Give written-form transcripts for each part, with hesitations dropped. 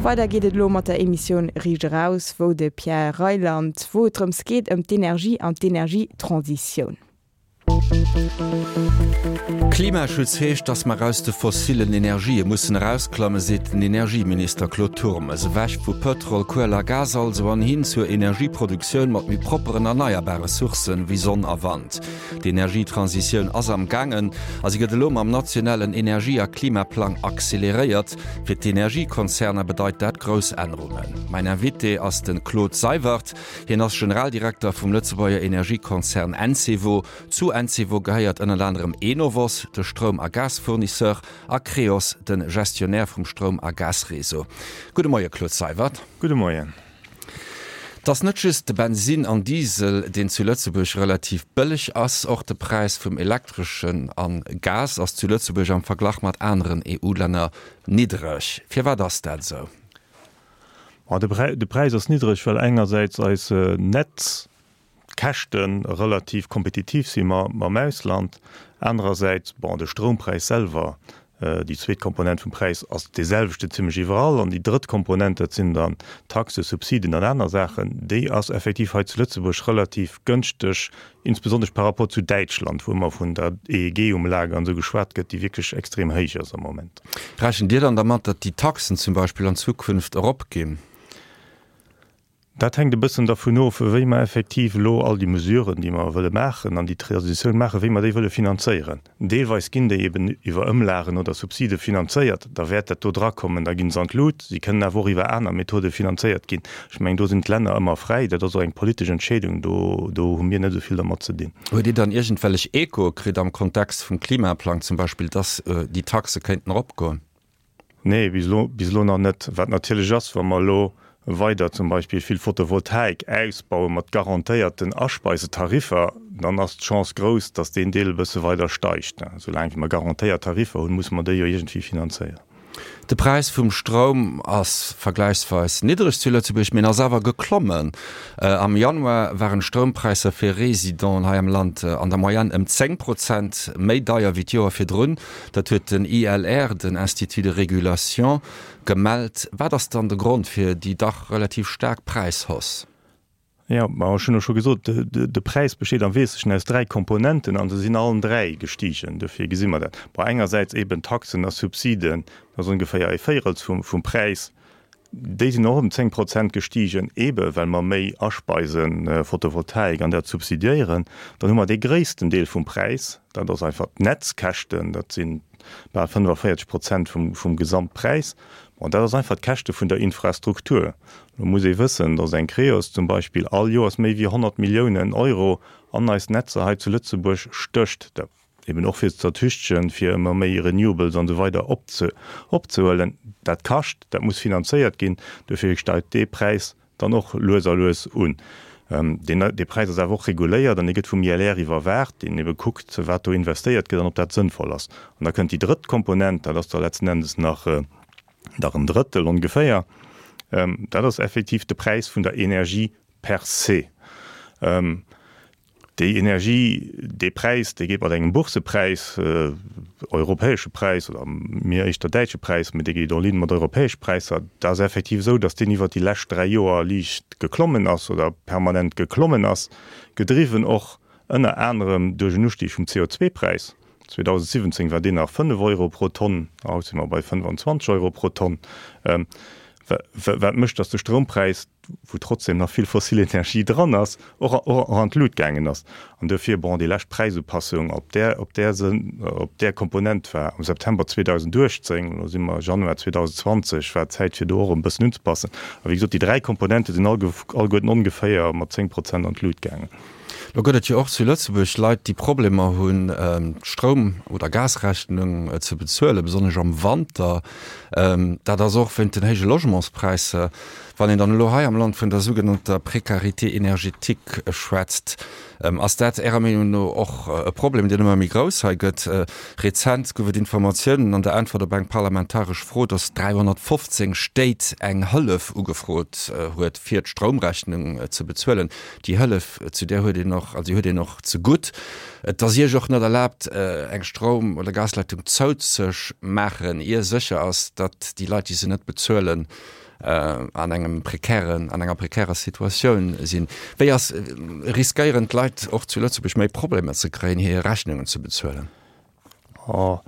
Weider geet et elo mat der Emissioun Riicht eraus, wou de Pierre Reyland, wou et drëms geet ëm d'Energie an d'Energietransitioun. Klimaschutz heescht, datt mer aus de fossillen Energië mussen erausklammen, seet den Energieminister Claude Turmes. Ewech vu Pëtrol, Kuel a Gas also an hin zur Energieproduktioun mat méi propperen erneierbare Sourcen, wéi Sonn a Wand. D'Energietransitioun ass am gaangen a si gëtt elo mam nationalen Energie a Klimaplang acceleréiert. Fir d'Energiekonzerner bedeit dat grouss Ännerungen. Mäin Invité ass de Claude Seywert. Hien ass Generaldirekter vum Lëtzebuerger Energiekonzern Encevo. Zu Encevo gehéiert ënnert anerem Enovos, de Stroum a Gasfournisseur, a Creos, de Gestionnaire vum Stroum a Gasreseau. Gudde Moie Claude Seywert. Gudde Moien. Et ass net just de Bensin an Diesel, deen zu Lëtzebuerg relativ bëlleg ass. Och de Präis vum Elektreschen a Gas ass zu Lëtzebuerg am Verglach mat aneren EU-Länner niddreg. Firwat ass dat esou? De Präis ass niddreg, well engersäits eis Netzkäschte relativ kompetitiv si mam Ausland, anerersäits, bon, de Stroumpräis selwer Déi zweet Komponent vum Präis ass dee selwechten zimlech iwwerall. An déi drëtt Komponent, dat sinn dann Taxen, Subsiden an aner Saachen, déi ass effektiv hei zu Lëtzebuerg relativ gënschteg, insbesonnesch par rapport zu Däitschland, wou ëmmer vun der EEG-Umlage an esou geschwat gëtt, déi wierklech extrem héich ass am Moment. Rechent Dir dann dermat, datt déi Taxen zum Beispill an Zukunft eropginn? Dat hänkt e bëssen dervun of, wéi mer effektiv elo all déi Mesuren, déi mer wëlle maachen an déi Transitioun maachen, wéi mer déi wëlle finanzéieren. Deelweis ginn déi eben iwwer Ëmlagen oder Subside finanzéiert, da wäert dat do drakommen, da gi se an d'Lut. Si kënnen awer och iwwer aner Methode finanzéiert ginn. Ech mengen, do sinn d'Länner ëmmer fräi. Dat ass och eng politesch Entscheedung, do do hu mir net esou vill dermat ze dinn. Huet Dir dann iergendwellech Echoe kritt am Kontext vum Klimaplang zum Beispill, dass déi Taxe kéinten eropgoen? Nee, bis elo, bis elo nach net. Wat natierlech ass, wa mer elo weider zum Beispill vill Photovoltaik ausbaue mat garantéierten Aspeisetariffer, dann ass d'Chance grouss, datt deen Deel e bësse weider steigt. Soulaang wéi mer garantéiert Tariffer hunn, musse mer déi jo iergendwéi finanzéieren. De Präis vum Stroum ass vergläichsweis niddreg zu Lëtzebuerg, mee en ass awer geklommen. Am Januar waren d'Stroumpräisser fir Residenten hei am Land an der Moyenne ëm 10 Prozent méi deier wéi d'Joer virdrun. Dat huet den ILR, den Institut de Régulation, gemellt. Wat ass dann de Grond fir déi dach relativ staark Präishausse? Jo, ma ech hunn och scho gesot, de Präis besteet am Wesentlechen aus dräi Komponenten a se sinn allen dräi gestigen. Dofir gesi mer dat. Bon, engersäits eeben Taxen a Subsiden, dat ass ongeféier e Véirels vum Präis. Déi sinn och ëm 10 Prozent gestigen, eebe well mer méi aspeisen, Photovoltaik an dat subsidiéieren. Dann hu mer dee gréissten Deel vum Präis, dat ass einfach d'Netzkäschten, dat si bal 45 Prozent vum Gesamtpräis. Bon, dat ass einfach d'Käschte vun der Infrastruktur. Lo muss ee wëssen, datt eng Creos zum Beispill all Joers méi wéi 100 Milliounen Euro an eis Netzer hei zu Lëtzebuerg stécht. Eben och fir ze ertüchtegen, fir ëmmer méi Renewables an esou weider opzehuelen. Dat kascht, dat muss finanzéiert ginn. Dofir steigt dee Präis dann och lues a lues un. Dee Präis ass awer och reguléiert an dee gëtt vum ILR iwwerwaacht, deen ebe kuckt, wat do investéiert gëtt an ob dat sënnvoll ass. An da kënnt déi drëtt Komponent, dat ass da letzten Endes nach nach en Drëttel ongeféier, dat ass effektiv de Präis vun der Energie per se. Déi Energie, dee Präis, dee geet mat engem Boursepräis, europäesche Präis oder mir éischter däitsche Präis, mee dee geet en ligne mat europäesche Präisser. Dat ass effektiv esou, datt deen iwwert déi lescht 3 Joer liicht geklommen ass oder permanent geklommen ass, gedriwwen och ënner anerem duerch en Ustieg vum CO2-Präis. 2017 war deen nach 5 Euro pro Tonn, haut si mer bei 25 Euro pro Tonn, wat mécht, datt de Stroumpräis, wou trotzdem nach vill fossil Energie dran ass, och an d'Lut gaangen ass. An duerfir, bon, déi lescht Präisupassung op där, op där Sënn, op där Komponent war am September 2018, elo si mer Januar 2020, war d'Zäit fir do och e bëssen unzepassen. A wéi gesot, déi dräi Komponente sinn alleguerten ongeféier mat 10 Prozent an d'Lut gaangen. Lo gëtt et jo och zu Lëtzebuerg Leit, déi Problemer hunn, d'Stroum oder Gasrechnung ze bezuelen, besonnesch am Wanter. Dat ass och wéint den héije Logementspräisser. Wann een dann elo hei am Land vun der sougenannter Précarité énergétique schwätzt, ass dat Ärer Meenung no och e Problem, deen ëmmer méi grouss hei gëtt? Rezent gouf et Informatiounen an der Äntwert op eng parlamentaresch Fro, datt 315 Stéit eng Hëllef ugefrot huet, fir d'Stroumrechnung ze bezuelen. Déi Hëllef, zu där huet een och, also déi huet een och zegutt. Et ass Iech och net erlaabt, eng Stroum oder Gasleitung zouzemaachen, ier sécher ass, datt déi Leit, déi se net bezuelen. An engem prekären, an enger prekärer Situatioun sinn. Wéi ass, riskéieren d'Leit och zu Lëtzebuerg méi Problemer ze kréien, hir Rechnungen ze bezuelen? Oh,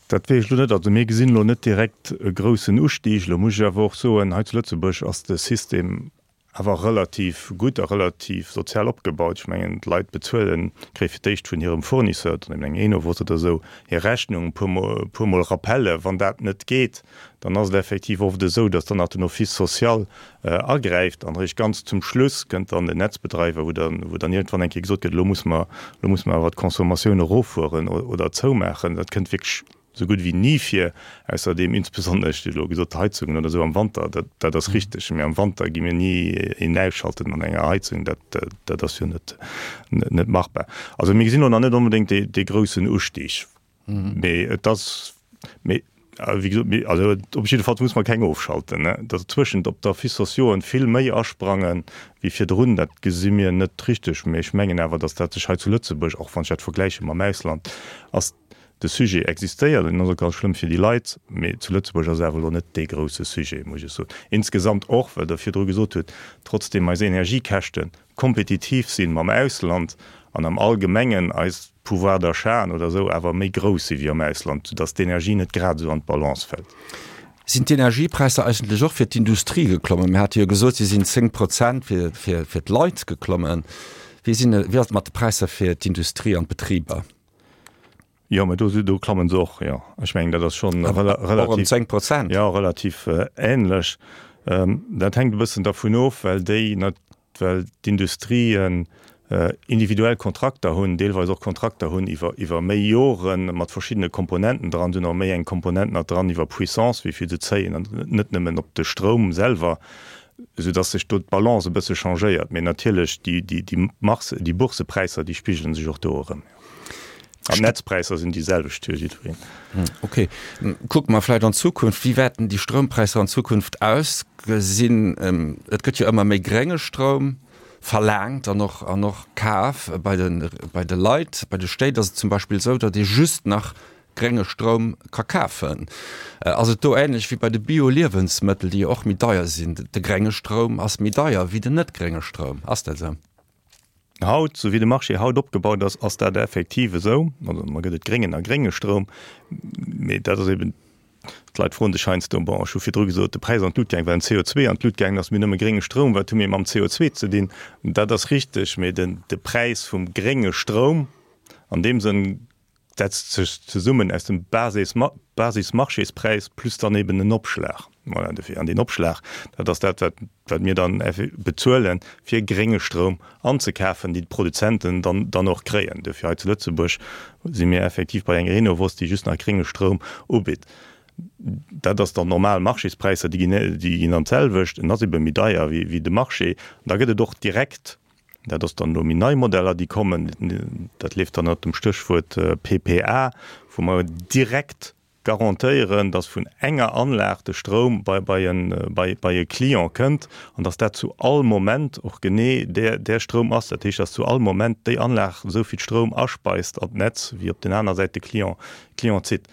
dat weess ech elo net. Also mir gesinn elo net direkt e groussen Ustig. Elo muss ech awer och soen, hei zu Lëtzebuerg ass de System awer relativ gutt a relativ sozial opgebaut. Ech mengen, d'Leit bezuelen, kréie fir d'éischt vun hirem Fournisseur, dann eben eng Enovos oder esou, hir Rechnung, e puer puer Mol Rappelle. Wann dat net geet, dann ass et effektiv oft esou, datt dann nach den Office social agräift an eréischt ganz zum Schluss kënnt dann den Netzbedreiwer, wou dann, wou dann iergendwann eng Kéier gesot gëtt, elo musse mer, elo musse mer awer d'Consommatioun eroffueren oder zoumaachen. Dat kënnt wierklech Sou gutt wéi ni vir. Ausserdeem, insbesonnesch, Dir hutt elo gesot, d'Heizungen oder esou am Wanter, dat, dat ass richteg, mee am Wanter gi mir ni een ausschalten an enger Heizung, dat, dat ass jo net, net machbar. Also mir gesinn elo nach net onbedéngt dee, dee groussen Ustig, mee et ass, mee wéi gesot, mee also op jiddefalls muss mer keng ofschalten, ne. Datt zwëschent op d'Office sociauxen vill méi asprange wéi virdrun, dat gesi mir net richteg, mee ech mengen awer, datt dat sech hei zu Lëtzebuerg, och wann ech dat vergläiche mam Ausland, ass De Sujet existéiert, en ass och ganz schlëmm fir déi Leit, mee zu Lëtzebuerg ass et awer elo net dee grousse Sujet, muss ech soen. Insgesamt och, well Der virdru gesot hutt, trotzdeem eis Energiekäschte kompetitiv si mam Ausland an am Allgemengen eis Pouvoir d'achat'en oder esou awer méi grouss si wéi am Ausland, soudass d'Energie net grad esou an d'Balance fält. Sinn d'Energiepräisser eigentlech och fir d'Industrie geklommen? Mir hate jo gesot, se sinn 10 Prozent fir, fir, fir d'Leit geklommen. Wéi sinn, wéi ass et mat de Präisser fir d'Industrie an d'Betriber? Jo, mä do, do klammen se och, jo. Ech mengen, dat ass schonn relativ. Och ëm 10 Prozent? Jo, relativ ähnlech. Dat hänkt e bëssen dervun of, well déi, well d'Industrien individuell Kontrakter hunn, deelweis och Kontrakter hunn iwwer, iwwer méi Joren, mat verschiddene Komponenten dran. Se hunn och méi eng Komponent nach dran iwwer Puissance, wéi vill se zéien, an net nëmmen op de Stroum selwer, soudass sech do d'Balance e bësse changéiert. Mee natierlech, déi, déi, déi Marce, déi Bourssepräisser, déi spigele sech och do erëm. An d'Netzpräisser sinn déi selwecht fir jiddwereen. Okay. Kucke mer vläicht an d'Zukunft. Wéi wäerten déi Stroumpräisser an Zukunft ausgesinn? Et gëtt jo ëmmer méi grénge Stroum verlaangt an och, an och kaf bei de, bei de Leit. Bei de Stéit ass et zum Beispill esou, datt ee just nach grénge Stroum ka kafen. Ass et do änlech wéi bei de Bio-Liewensmëttel, déi jo och méi deier sinn? De grénge Stroum ass méi deier wéi den net grénge Stroum. Ass dat esou? Haut, sou wéi de Marché haut opgebaut ass, ass dat effektiv esou. Also mar gëtt et gréngen a grénge Stroum, mee dat ass eben, d'Leit froen sech heiansdo, bon, ech hu virdru gesot, de Präis an d'Lut gaang, well den CO2 an d'Lut gaangen ass, mir nëmme grénge Stroum, wat hu mir mam CO2 ze dinn? Dat ass richteg, mee den, de Präis vum grénge Stroum an deem Sënn setzt sech zesummen aus dem Basismarchéspräis plus dann eben en Opschlag. Voilà, dofir, an deen Opschlag, dat ass dat, wat, wat mir dann bezuelen, fir grénge Stroum anzekafen, déi d'Produzenten dann, dann och kréien. Dofir hei zu Lëtzebuerg si mir effektiv bei enger Enovos, déi just nach grénge Stroum ubitt. Dat ass dann normal Marchéspräisser, déi ginn, déi ginn dann d'selwecht. En ass ebe méi deier wéi, wéi de Marché. An da gëtt et och direkt Dat ass dann elo méi nei Modeller, déi kommen. Dat leeft dann ënnert dem Stéchwuert PPA, wou mer direkt garantéieren, dass vun enger Anlag de Stroum bei bei e bei e Client kënnt an dass dat zu all Moment och genee där där Stroum ass. Dat heescht, dass zu all Moment déi Anlag esou vill Stroum aspeist an d'Netz, wéi op den aner Säit de Client Client zitt.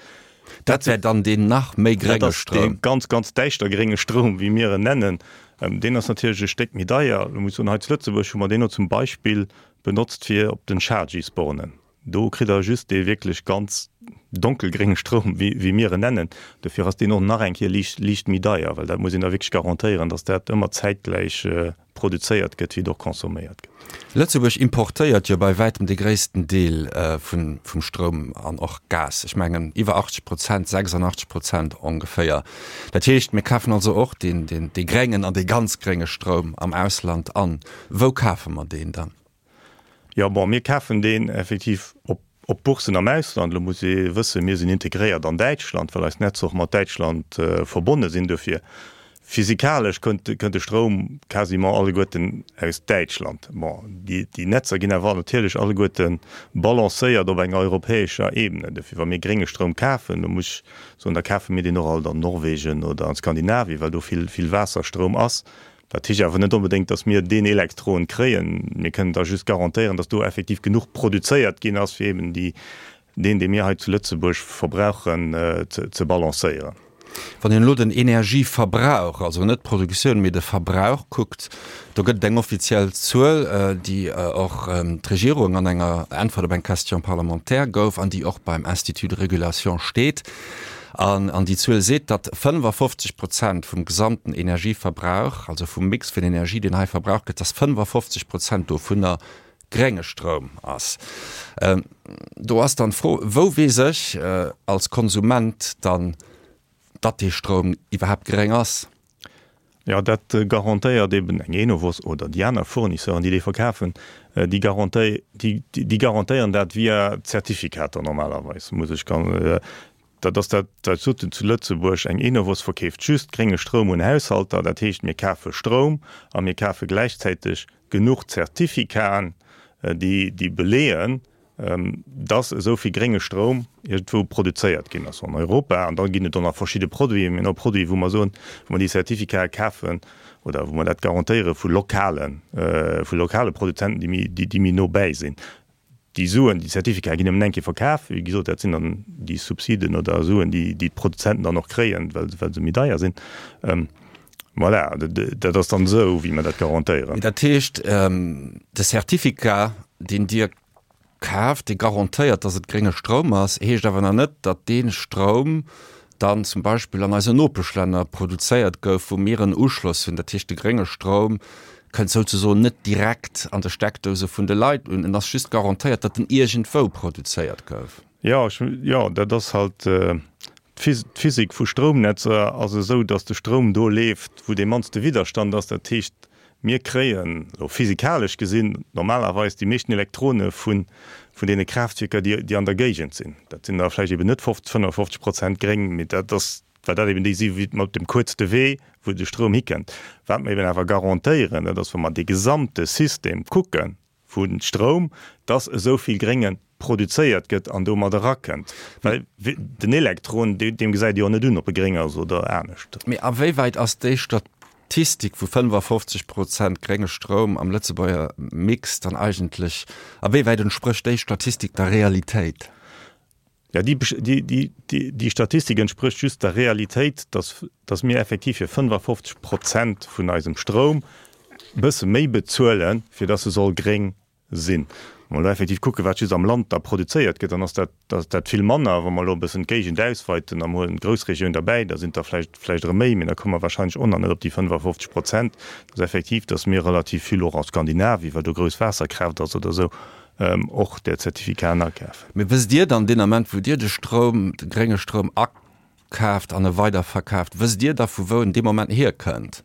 Dat wär dann deen nach méi grénge Stroum. Dat ass dee ganz, ganz däischter grénge Stroum, wéi mir en nennen. Deen ass natierlech e Stéck méi deier. Elo muss ech soen, hei zu Lëtzebuerg hu mer deen och zum Beispill benotzt fir op den Chargy-Bornen. Do kritt Der just dee wierklech ganz donkelgrénge Stroum, wéi mir en nennen. Dofir ass deen och nach eng Kéier liicht, liicht méi deier, well dat muss een da wierklech garantéieren, dass dat ëmmer zäitgläich produzéiert gëtt, wéi et och consomméiert gëtt. Lëtzebuerg importéiert jo bei wäitem de gréissten Deel vum Stroum an och Gas. Ech mengen iwwer 80 Prozent, 86 Prozent ongeféier. Dat heescht, mir kafen also och deen dee gréngen an dee ganz grénge Stroum am Ausland an. Wou kafe mer deen dann? Jo, bon, mir kafen deen effektiv op op Boursen am Ausland. Elo muss ee wëssen, mir sinn integréiert an Däitschland, well eis Netzer och mat Däitschland verbonne sinn. Dofir physikalesch kënnt kënnt de Stroum quasiment alleguerten aus Däitschland. Bon, déi déi Netzer ginn awer natierlech alleguerte balancéiert op enger europäescher Ebene. Dofir, wa mir grénge Stroum kafen, da muss ech soen, da kafe mir deen och alt an Norwegen oder an Skandinavien, well do vill vill Waasserstroum ass. Dat heescht awer net onbedéngt, datt mir deen Elektron kréien. Mir kënnen da just garantéieren, datt do effektiv genuch produzéiert ginn ass, fir eben déi, deen, dee mir hei zu Lëtzebuerg verbrauchen, ze balancéieren. Wann een elo den Energieverbrauch, also net d'Produktioun, mee de Verbrauch kuckt, do gëtt et eng offiziell Zuel, déi och d'Regierung an enger Äntwert op eng Question parlementaire gouf an déi och beim Institut de régulation steet. An an déi Zuel seet, datt 55 Prozent vum gesamten Energieverbrauch, also vum Mix vun Energie, deen hei verbraucht gëtt, datt 55 Prozent dovunner grénge Stroum ass. Do ass dann d'Fro, Wou weess ech als Konsument dann, datt dee Stroum iwwerhaapt gréng ass? Jo, dat garantéiert eben eng Enovos oder déi aner Fournisseuren, déi dee verkafen, déi garantéieren dat via Zertifikater normalerweis, muss ech Dat ass dat, wat ech sot, zu Lëtzebuerg, eng Enovos verkeeft just grénge Stroum un Haushalter. Dat heescht, mir kafe Stroum a mir kafe gläichzäiteg genuch Zertifikaen, déi déi beleeën, dass esou vill grénge Stroum iergendwou produzéiert ginn ass an Europa. An da ginn et och nach verschidde Produiten. Mir hunn och Produiten, wou mer soen, wou mer déi Zertifikae kafen oder wou mer dat garantéiere vu lokalen, vu lokale Produzenten, déi méi, déi méi no bäi sinn. Déi Suen, déi Certificaten ginn nëmmen eng Kéier verkaf. Wéi gesot, dat sinn dann déi Subsiden oder Suen, déi d'Produzenten dann och kréien, well se méi deier sinn. Voilà, dat ass dann esou, wéi mer dat garantéieren. Dat heescht, de Certificat, deen Dir kaaft, dee garantéiert, datt et grénge Stroum ass, heescht awer nach net, datt dee Stroum dann zum Beispill an eisen Nopeschlänner produzéiert gouf, wou mir en Uschloss hunn. Dat heescht, de grénge Stroum kënnt souzesoen net direkt an de Steckdouse vun de Leit un, en ass just garantéiert, datt en iergendwou produzéiert gouf. Jo, ech, jo, dat ass halt, d'Physik vu Stroumnetzer ass esou, datt de Stroum do leeft, wou dee mannste Widderstand ass. Dat heescht, Mir kréien, elo physikalesch gesinn, normalerweis déi meeschten Elektrone vun deene Kraaftwierker, déi an der Géigend sinn. Dat sinn da vläicht eben net 50, 55 Prozent gréng, mee dat ass, well dat eben déi si mat dem kuerzte Wee, wou de Stroum hikënnt. Wat mer eben awer garantéieren, dat ass, wa mer dee gesamte System kucken, vu Stroum, dass esou vill Grénge produzéiert gëtt an domat erakënnt. Well den Elektron, deem gesäit ee jo net un, ob e gréng ass oder anescht. Mee a wéi wäit ass déi Statistik vu 55 Prozent grénge Stroum am Lëtzebuerger Mix dann eigentlech, a wéi wäit entsprécht déi Statistik der Realitéit? Jo, déi Statistik entsprécht just der Realitéit, dass, dass mir effektiv fir 55 Prozent vun eisem Stroum e bësse méi bezuelen, fir dass e soll gréng sinn. Wa mer elo effektiv kucken, wat just am Land da produzéiert gëtt, dann ass dat, dat vill manner. Wa mer elo e bëssen d'Géigend ausweiten a mer huelen d'Groussregioun derbäi, da sinn et der vläicht, vläicht erëm méi, mee da komme mer wahrscheinlech och nach net op déi 55 Prozent. Dass effektiv, dass mir relativ vill och a Skandinavien, well do grouss Waasserkraaft ass oder esou, och där Zertifikaten akafen. Mee wësst Dir dann deen Ament, wou Dir de Stroum, de grénge Stroum akaaft an e weiderverkaaft, wësst Dir da vu wou en dee Moment hierkënnt?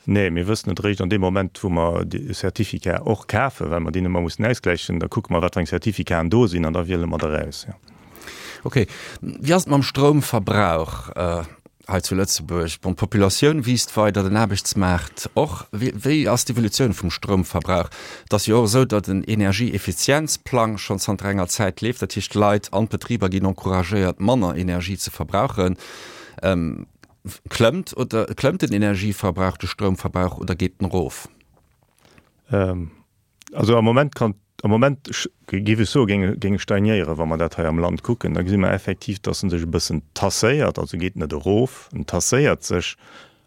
Nee, mir wëssen et eréischt an deem Moment, wou mer déi Certificat och kafen, well mer déi ëmmer mussen ausgläichen. Da kucke mer, wat fir eng Certificaten do sinn an da wiele mer der aus, jo. Okay. Wéi ass et mam Stroumverbrauch? Hei zu Lëtzebuerg, bon, d'Populatioun wiisst weider, den Aarbechtsmaart och. Wéi ass d'Evolutioun vum Stroumverbrauch? Et ass jo och esou, datt en Energieeffizienzplang schonn zanter enger Zäit leeft. Dat heescht, d'Leit an d'Betriber ginn encouragéiert, manner Energie ze verbrauchen. Klëmmt oder klëmmt den Energieverbrauch, de Stroumverbrauch oder geet en erof? Also am Moment kann, am Moment géif ech soen, géing, géing e stagnéieren, wa mer dat hei am Land kucken. Da gesi mer effektiv, dass en sech e bëssen tasséiert, also geet net erof, en tasséiert sech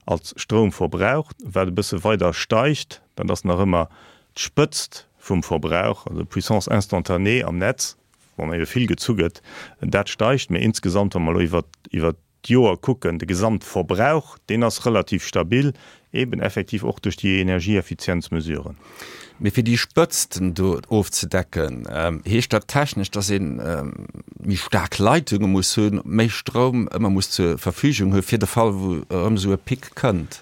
als Stroumverbrauch. Wat e bësse weider steigt, dat ass nach ëmmer d'Spëtzt vum Verbrauch, also d'Puissance instantanée am Netz, wann ebe vill gezu gëtt, dat steigt. Mee insgesamt, wa mer elo iwwert, iwwert d'Joer kucken, de Gesamtverbrauch, deen ass relativ stabil, eben effektiv och duerch déi Energieeffizienzmesuren. Mee fir déi Spëtzten do ofzedecken, heescht dat technesch, dass ee méi staark Leitunge muss hunn, méi Stroum ëmmer muss zur Verfügung hu fir de Fall, wou erëm esou e Pic kënnt?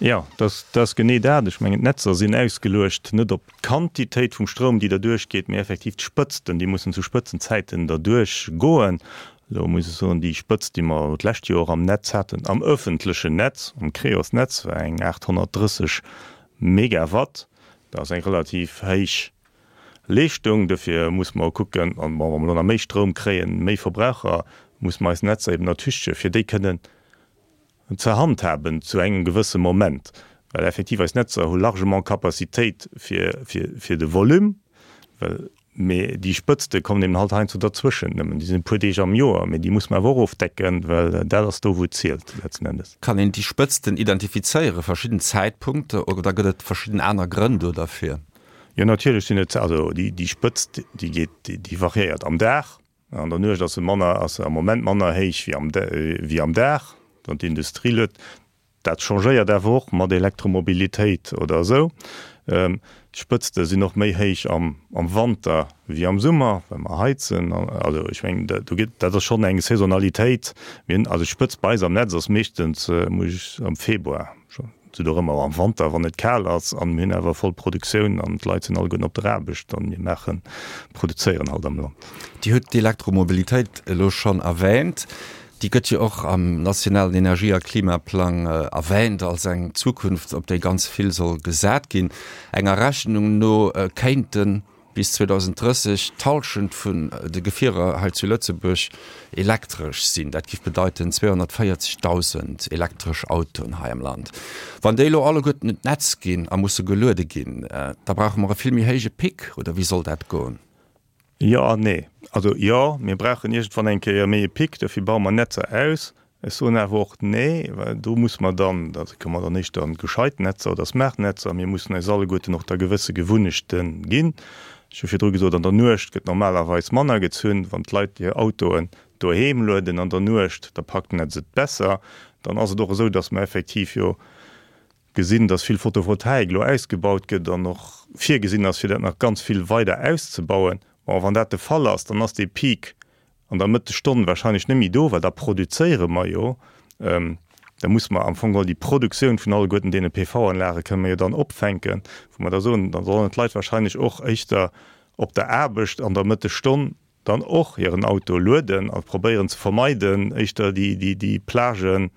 Jo, dat ass genee dat. Ech mengen, d'Netzer sinn ausgeluecht net op d'Quantitéit vum Stroum, déi derduerch geet, mee effektiv d'Spëtzten, déi mussen zu Spëtzenzäiten derduerch goen. Elo muss ech soen, déi Spëtzt, déi mer d'lescht Joer am Netz haten, am öffentlechen Netz, am Creos-Netz, war eng 830 Megawatt. Dat ass eng relativ héich Leeschtung. Dofir musse mer kucken, an bon, wa mer elo nach méi Stroum kréien, méi Verbraucher, musse mer eis Netzer eben ertüchtegen, fir déi kënnen ze handhaben zu engem gewësse Moment, well effektiv eis Netzer hu largement Capacitéit fir, fir, fir de Volume, well. Mee déi Spëtzte kommen eben halt heiansdo derzwëschent nëmmen. Déi sinn e puer Deeg am Joer, mee déi muss mer awer och ofdecken, well dat ass do, wou et zielt letzten Endes. Kann een déi Spëtzten identifizéieren, verschidden Zäitpunkte, oder gëtt et verschidden aner Grënn do derfir? Jo, natierlech sinn et, also déi Spëtzt, déi geet, déi variéiert am Dag. An der Nuecht ass se manner, ass se am Moment manner héich wéi am, wéi am Dag, wann d'Industrie luet. Dat changéiert awer och mat Elektromobilitéit oder esou. D'Spëtzte sinn och méi héich am Wanter wéi am Summer, well mer heizen. Also ech mengen, do gëtt, dat ass schonn eng Saisonalitéit. Mir hunn, also d'Spëtzt bei eis am Netz ass meeschtens, muss ech, am Februar, sou dorëmmer, am Wanter, wann et kal ass an mir hunn awer voll Produktioun an d'Leit sinn alleguerten op der Aarbecht an mir maachen, produzéieren halt am Land. Dir hutt d'Elektromobilitéit elo schonn erwähnt. Déi gëtt jo och am nationalen Energie a Klimaplang erwähnt als eng Zukunft, op déi ganz vill soll gesat ginn. Enger Rechnung no kéinte bis 2030 d'Hallschent vun de Gefierer hei zu Lëtzebuerg elektresch sinn. Dat giff bedeiten 240.000 elektresch Autoen hei am Land. Wann déi elo alleguerten un d'Netz ginn a musse geluede ginn, da brauche mer e vill méi héije Pic, oder wéi soll dat goen? Jo an nee. Also jo, mir brauchen iergendwann eng Kéier méi e Pic, dofir baue mer Netzer aus. Ech soen awer och nee, well do musse mer dann, da komme mer dann éischter an gescheit Netzer oder smart Netzer, mir mussen eis alleguerten och da gewësse Gewunnechte ginn. Ech hu virdru gesot, an der Nuecht gëtt normalerweis manner gezunn. Wann d'Leit hir Autoen doheem lueden an der Nuecht, da packt d'Netz et besser. Dann ass et och esou, datt mer effektiv jo gesinn, dass vill Photovoltaik elo ausgebaut gëtt an och virgesinn ass, fir dat nach ganz vill weider auszebauen. Bon, wann dat de Fall ass, dann ass dee Peak an der Mëttesstonn wahrscheinlech net méi do, well da produzéiere mer jo. Da musse mer am Fong geholl déi Produktioun vun alleguerten deene PV-Anlage kënne mer jo dann opfänken, wou mer da soen, da sollen d'Leit wahrscheinlech och éischter op der Aarbecht an der Mëttesstonn dann och hiren Auto lueden a probéieren ze vermeiden, éischter déi Plagen,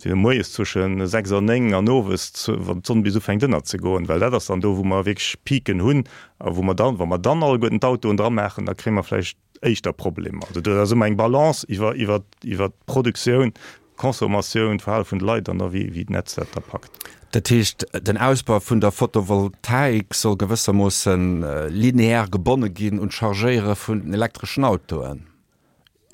déi moies zwësche 6 an 9 an owes, wann d'Sonn bis ufänkt ënnerzegoen, well dat ass dann do, wou mer wierklech Piken hunn a wou mer dann, wa mer dann alleguerten d'Autoen dramaachen, da kréie mer vläicht éischter Problemer. Also dat ass ëmmer eng Balance iwwer d'Produktioun Consommatioun, d'Verhale vun de Leit an da wéi d'Netz dat da packt. Dat heescht, den Ausbau vun der Photovoltaik soll gewëssermoosse linear gebonne ginn un d'Chargéiere vun den elektreschen Autoen?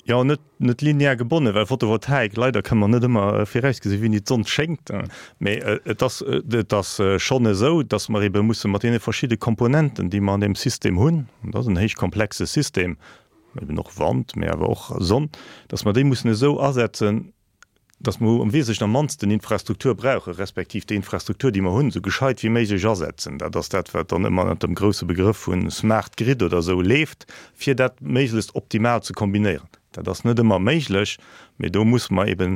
Jo, net net linear gebonne, well Photovoltaik, leider kënne mer net ëmmer virausgesinn, wéini d'Sonn schéngt. Mee et ass et ass schonn esou, datt mer ebe musse mat deene verschidde Komponenten, déi mer an deem System hunn, an dat ass en héich komplexe System, eben och Wand, mee awer och Sonn, dass mer déi mussen esou asetzen, dass mer am Wesentlechen am mannsten Infrastruktur brauchen, respektiv déi Infrastruktur, déi mer hunn, esou gescheit wéi méiglech asetzen. Dat ass dat, wat dann ëmmer ënnert dem grouse Begrëff vu Smart Grid oder esou leeft, fir dat méiglechst optimal ze kombinéieren. Dat ass net ëmmer méiglech, mee do musse mer eben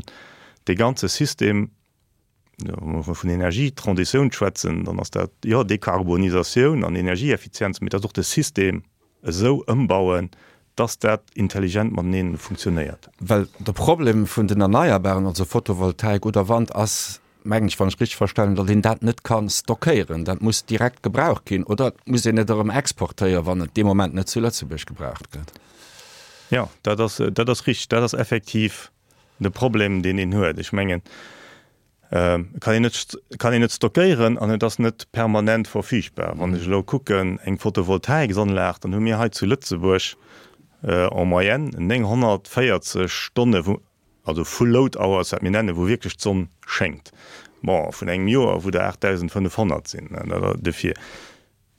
dee ganze System, Wa mer vun Energietransitioun schwätzen, dann ass dat, jo, Dekarbonisatioun an Energieeffizienz, mee dat ass och de System esou ëmbauen, dass dat intelligent matenee funktionéiert. Well de Problem vun den Erneierbaren, also Photovoltaik oder Wand, ass, mengen ech, wann ech richteg verstanen hunn, datt een dat net ka stockéieren. Dat muss direkt gebraucht ginn oder et muss een et erëm exportéieren, wann et dee Moment net zu Lëtzebuerg gebraucht gëtt. Jo, dat ass, dat ass richteg. Dat ass effektiv De Problem, deen een huet, ech mengen, et kann een net, kann een net stockéieren an et ass net permanent verfügbar. Wann ech elo kucken, eng Photovoltaiksanlag, dann hu mir hei zu Lëtzebuerg en moyenne 940 Stonne wou, also full load hours, wat mir nennen, wou wierklech d'Sonn schéngt. Bon, vun engem Joer, wou der 8.500 sinn. Dofir.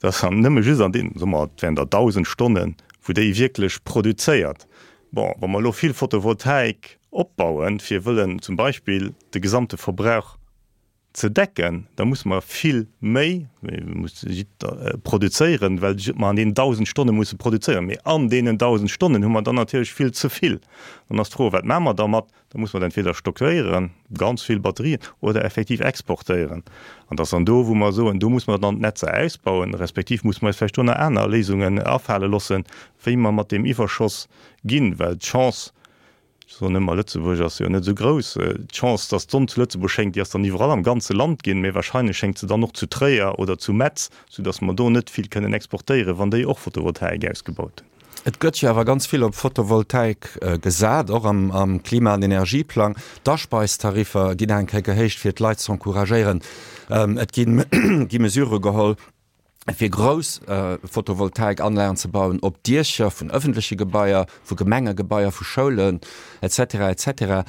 Dat ass dann nëmme just an deenen, soe mer, et wären der 1.000 Stonnen, wou déi wierklech produzéiert. Bon, wa mer elo vill Photovoltaik opbauen, fir wëllen zum Beispill de gesamte Verbrauch ze decken, da musse mer vill méi produzéieren, well mer an deenen 1.000 Stonne musse produzéieren. Mee an deenen 1.000 Stonnen hu mer dann natierlech vill ze vill. Dann ass d'Fro, Wat maache mer dermat? Da muss mer et entweder stockéieren, ganz vill Batterien, oder effektiv exportéieren. An dat ass dann do, wou mer soen, do muss mer dann d'Netzer ausbauen, respektiv muss mer eis vläicht do nach aner Léisungen afale loossen, wéi mer mat deem Iwwerschoss ginn, well d'Chance, ech soen ëmmer, Lëtzebuerg ass jo net esou grouss, d'Chance, dass d'Sonn zu Lëtzebuerg schéngt, déi ass dann iwwerall am ganze Land ginn, mä wahrscheinlech schéngt se dann och zu Tréier oder zu Metz, soudass mer do net vill kënnen exportéieren, wann déi och Photovoltaik ausgebaut hunn. Et gëtt jo awer ganz vill op Photovoltaik gesat, och am Klima an Energieplang. D'Aspeistariffer ginn eng Kéier gehéicht, fir d'Leit z'encouragéieren. Et gi Mesurë geholl. Fir grouss Photovoltaikanlagen ze bauen op Diecher vun ëffentleche Gebaier, vu Gemengegebaier, vu Schoulen, etc. Etc.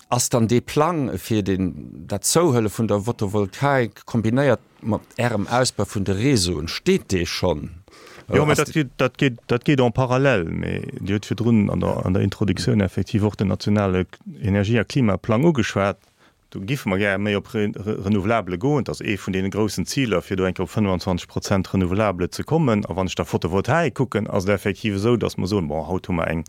Ass dann dee Plang fir den, dat Zouhuele vun der Photovoltaik kombinéiert mat Ärem Ausbau vun de Réseauen, steet dee schonn? Jo, mä dat geet, dat geet, dat geet en parallèle. Mä Dir hutt virdrun an der, an der Introduktioun effektiv och den nationale Energie a Klimaplang ugeschwat. Do giffe mer gär méi op Renouvelabele goen. Dat ass ee vun deene groussen Ziler, fir do eng Kéier op 25 Prozent Renouvelabele ze kommen. A wann ech da Photovoltaik kucken, ass et effektiv esou, datt mer soen, bon, haut hu mer eng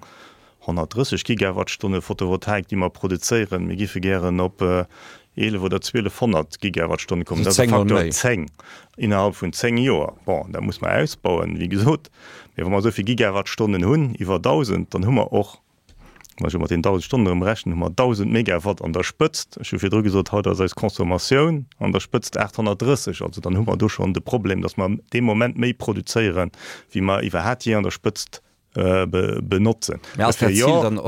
130 Gigawattstonne Photovoltaik, déi mer produzéieren. Mir giffe gären op 11 oder 1200 Gigawattstonne kommen. Dat ass e Faktor 10 innerhalb vun 10 Joer. Bon, dat muss mer ausbauen, wéi gesot. Mee wa mer esou vill Gigawattstonnen hunn, iwwer 1.000, dann hu mer och Wa ech elo mat deenen 1.000 Stonnen erëm rechnen, hu mer 1.000 Megawatt an der Spëtzt. Ech hu virdru gesot, haut ass eis Consommatioun an der Spëtzt 830. Also dann hu mer do schonn de Problem, datt mer dee Moment méi produzéieren, wéi mer iwwerhat jee an der Spëtzt benotzen. Mä ass dat Zil dann,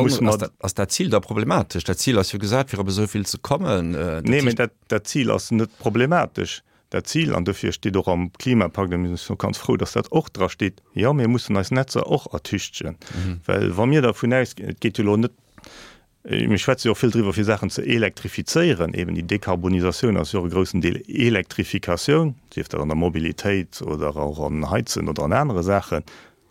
ass dat Zil da problematesch? Dat Zil ass jo gesat, fir op esou vill ze kommen. Nee, mä dat Zil ass net problematesch. Dat Zil, an dofir steet och am Klimapakt, a mir sinn och ganz frou, dass dat och dra steet, jo, mir mussen eis Netzer och ertüchtegen. Well wa mir dervun ausginn, et geet jo elo net, mir schwätze jo och vill driwwer, fir Saachen ze elektrifizéieren, eben déi Dekarbonisatioun ass jo och e groussen Deel Elektrifikatioun, sief dat an der Mobilitéit oder och an Heizen oder an anere Saachen,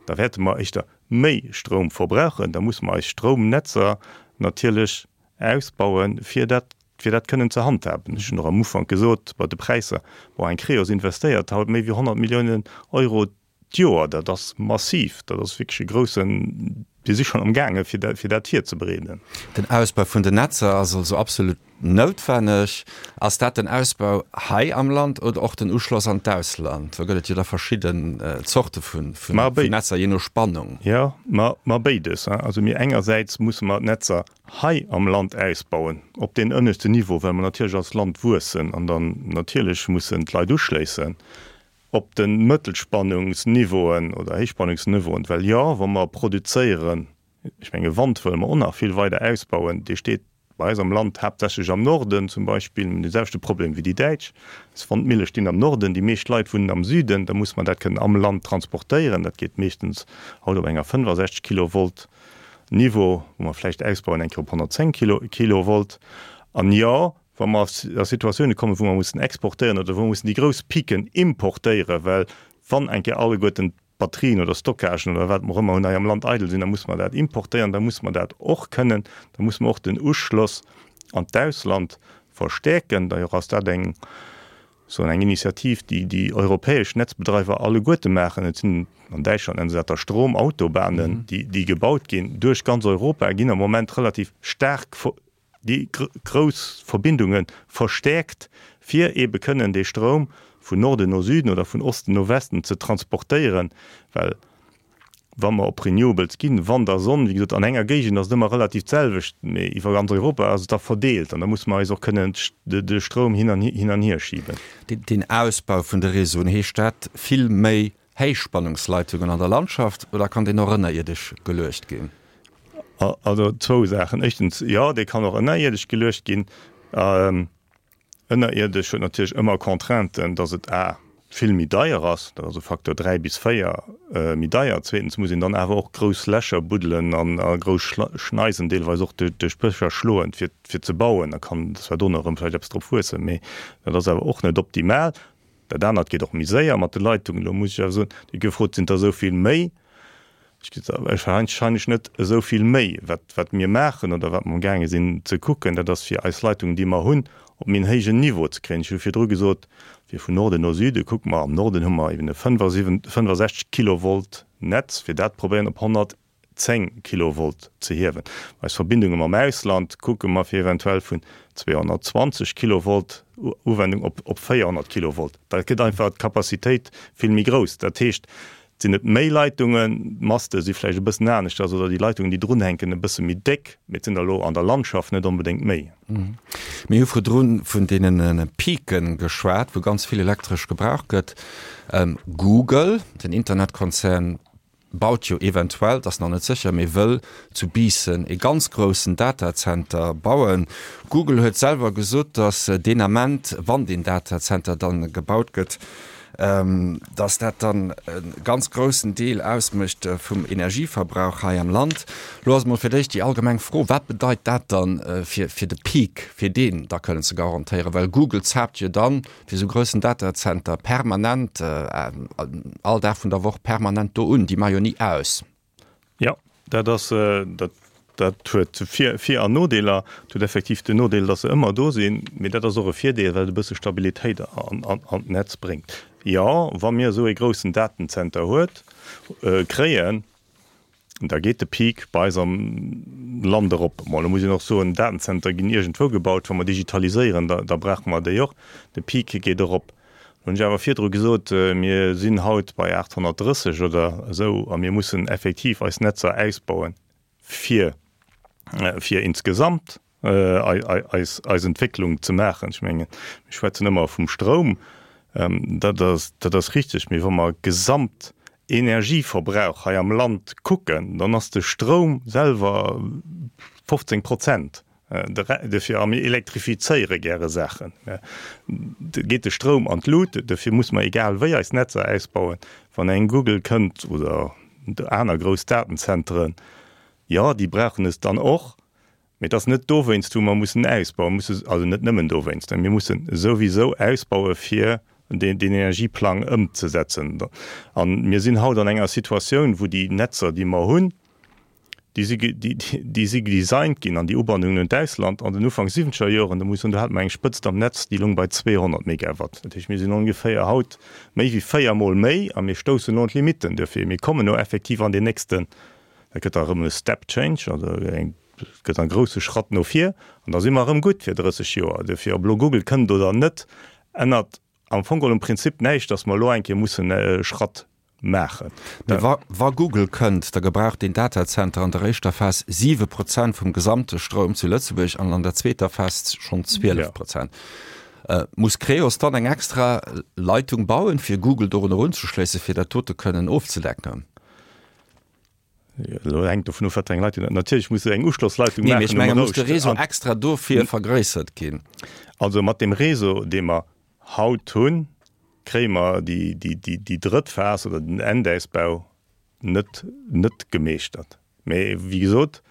da wäerte mer éischter méi Stroum verbrauchen, da musse mer eis Stroumnetzer natierlech ausbauen, fir dat fir dat kënnen ze handhaben. Ech hunn och am Ufank gesot, bei de Präisser, bon, eng Creos investéiert haut méi wéi 100 Milliounen Euro d'Joer, dat ass massiv, dat ass wierklech e groussen, mir si schonn amgaange fir dat, fir dat virzebereeden. Den Ausbau vun den Netzer ass also absolut noutwenneg. Ass dat den Ausbau hei am Land oder och den Uschloss an d'Ausland? Do gëtt et jo da verschidden Zorte vun Netzer, jee no Spannung. Jo, ma béides. Also mir engersäits musse mer d'Netzer hei am Land ausbauen, op deen ënneschten Niveau, well mer natierlech als Land wuessen an dann natierlech mussen d'Leit uschléissen op de Mëttelspannungsniveauen oder Héichspannungsniveauen, well jo, wa mer produzéieren, ech menge Wand wëlle mer och nach vill weider ausbauen, dee steet bei eis am Land haaptsächlech am Norden zum Beispill, mir hunn dee selwechte Problem wéi déi Däitsch, eis Wandmille stinn am Norden, déi meescht Leit wunnen am Süden, da muss mer dat kënnen am Land transportéieren, dat geet meeschtens haut op enger 65 Kilovolt Niveau, wou mer vläicht ausbauen eng Kéier op 110 Kilovolt. An jo, wa mer a Situatioune kommen, wou mer mussen exportéieren oder wou mer mussen déi grouss Piquen importéieren, well wann eng Kéier alleguerten d'Batterien oder Stockagen oder wat mer och ëmmer hunn hei am Land eidel sinn, da musse mer dat importéieren, da musse mer dat och kënnen, da musse mer och den Uschloss an d'Ausland verstäerken. D'ailleurs ass dat eng soen, eng Initiativ, déi déi europäesch Netzbedreiwer alleguerte maachen. Et sinn, an Däitschland nennen se dat da Stromautobanen, déi, déi gebaut ginn duerch ganz Europa, ginn am Moment relativ staark déi grouss Verbindunge verstäerkt, fir eebe kënnen dee Stroum vun Norden no Süden oder vun Osten no Westen ze transportéieren, well wa mer op Renewables ginn, Wand a Sonn, wéi gesot, an enger Géigend ass et ëmmer relativ d'selwecht, mee iwwer ganz Europa ass et da verdeelt an da musse mer eis och kënnen de Stroum hin an hin an hier schiben. Den Ausbau vun de Réseauen, heescht dat vill méi Héichspannungsleitungen an der Landschaft oder kann deen och ënnerierdesch geluecht ginn? Also zwou Saachen. Éischtens, jo, dee kann och ënnerierdesch geluecht ginn. Ënnerierdesch huet natierlech ëmmer Contrainten, dass et a vill méi deier ass, dat ass e Facteur 3 bis 4 méi deier. Zweetens muss een dann awer och grouss Lächer buddelen an a grouss Schneisen deelweis och duerch d'Bëscher schloen, fir fir ze bauen. Da kann zwar dono erëm vläicht eppes drop wuessen, mee dat ass awer och net optimal. Dat anert geet och méi séier mat de Leitungen. Elo muss ech awer soen, déi gefrot sinn der esou vill méi. Ech ginn se wahrscheinlech net esou vill méi. Wat, wat mir maachen oder wat mer amgaange sinn ze kucken, dat ass fir eis Leitungen, déi mer hunn, op méi en héijen Niveau ze kréien. Ech hu virdru gesot, fir vun Norden no Süde kucke mer, am Norden hu mer eben e 65 Kilovolt Netz, fir dat probéieren op 110 Kilovolt ze hiewen. Eis Verbindunge mam Ausland kucke mer fir eventuell vun 220 Kilovolt Uwendung op op 400 Kilovolt. Da gëtt einfach d'Capacitéit vill méi grouss. Dat heescht, Et sinn net méi Leitungen, d'Maste si vläicht e bëssen aneschters oder déi Leitungen, déi drunhänken, e bësse méi déck, mee et sinn der elo an der Landschaft net onbedéngt méi. Mir hu virdru vun deene Pique geschwat, wou ganz vill Elektresch gebraucht gëtt. Google, den Internetkonzern, baut jo eventuell, et ass nach net sécher, mee wëll zu Biissen ee ganz groussen Datazenter bauen. Google huet selwer gesot, datt deen Ament, wann deen Datazenter dann gebaut gëtt. Dass dat dann e ganz groussen Deel ausmécht vum Energieverbrauch hei am Land. Lo ass emol fir d'éischt déi allgemeng Fro, Wat bedeit dat dann fir de Peak, fir deen da kënnen ze garantéieren? Well Google zaapt jo dann fir esou groussen Datacenter permanent, all Dag vun der Woch permanent do un. Déi maache jo ni aus. Jo, dat ass, dat, dat huet Vir-, Vir an Nodeeler. Et huet effektiv den Nodeel, datt se ëmmer do sinn, mee dat ass och e Virdeel, well et e bësse Stabilitéit an, an, an d'Netz bréngt. Jo, wa mir esou ee groussen Datenzenter huet, kréien, da geet de Peak bei eis am Land erop. Bon, elo muss een och soen, Datenzenter ginn iergendwou gebaut. Wa mer digitaliséieren, da, da brauche mer déi och. De Peak geet erop. Hunn ech awer virdru gesot, mir sinn haut bei 830 oder esou a mir mussen effektiv eis Netzer ausbauen, fir, fir insgesamt eis, eis Entwécklung ze maachen. Ech mengen, mir schwätzen ëmmer vum Stroum, dat ass, dat ass richtig, mee wa mer Gesamtenergieverbrauch hei am Land kucken, dann ass de Stroum selwer 15 Prozent. Dofir, a mir elektrifizéiere gäre Saachen, geet de Stroum an d'Lut. Dofir muss mer egal wéi eis Netzer ausbauen. Wann eng Google kënnt oder aner grouss Datenzenteren, jo, déi brauchen es dann och. Mee et ass net dowéinst, wou mer mussen ausbauen, musse, also net nëmmen dowéinst, mir mussen souwisou ausbaue fir deen Energieplang ëmzesetzen. A mir sinn haut an enger Situatioun, wou déi Netzer, déi mer hunn, Déi si, déi si designt ginn an déi Ubannungen un d'Ausland an den Ufank siwwenzeger Joren. Do muss een soen, do hate mer eng Spëtzt am Netz, déi loung bei 200 Megawatt. Dat heescht, mir sinn ongeféier haut méi wéi véiermol méi a mir stoussen elo un d'Limitten. Duerfir, mir kommen elo effektiv an deen nächsten, dat gëtt da erëm e Step change, also eng, gëtt e grousse Schratt no vir an da si mer erëm gutt fir 30 Joer. Duerfir, ob elo Google kënnt oder net, ännert am Fong geholl um Prinzip näischt, dass mer elo eng Kéier mussen e Schratt maachen. Mee wa wa Google kënnt, da gebraucht deen Datacenter an der éischter Phas 7 Prozent vum gesamte Stroum zu Lëtzebuerg an an der zweeter Phas schonn 12 Prozent. Muss Creos dann eng extra Leitung bauen, fir Google dorun erunzeschléissen, fir dat dote kënnen ofzedecken? Elo hänkt dovun of, wat fir eng Leitung dat. Natierlech muss se eng Uschlossleitung maachen. Nee, mee ech menge muss de Réseau extra dofir vergréissert ginn? Also mat deem Réseau, dee mer haut hunn, kréie mer déi drëtt Phas oder den Endausbau net net gemeeschtert. Mee wéi gesot,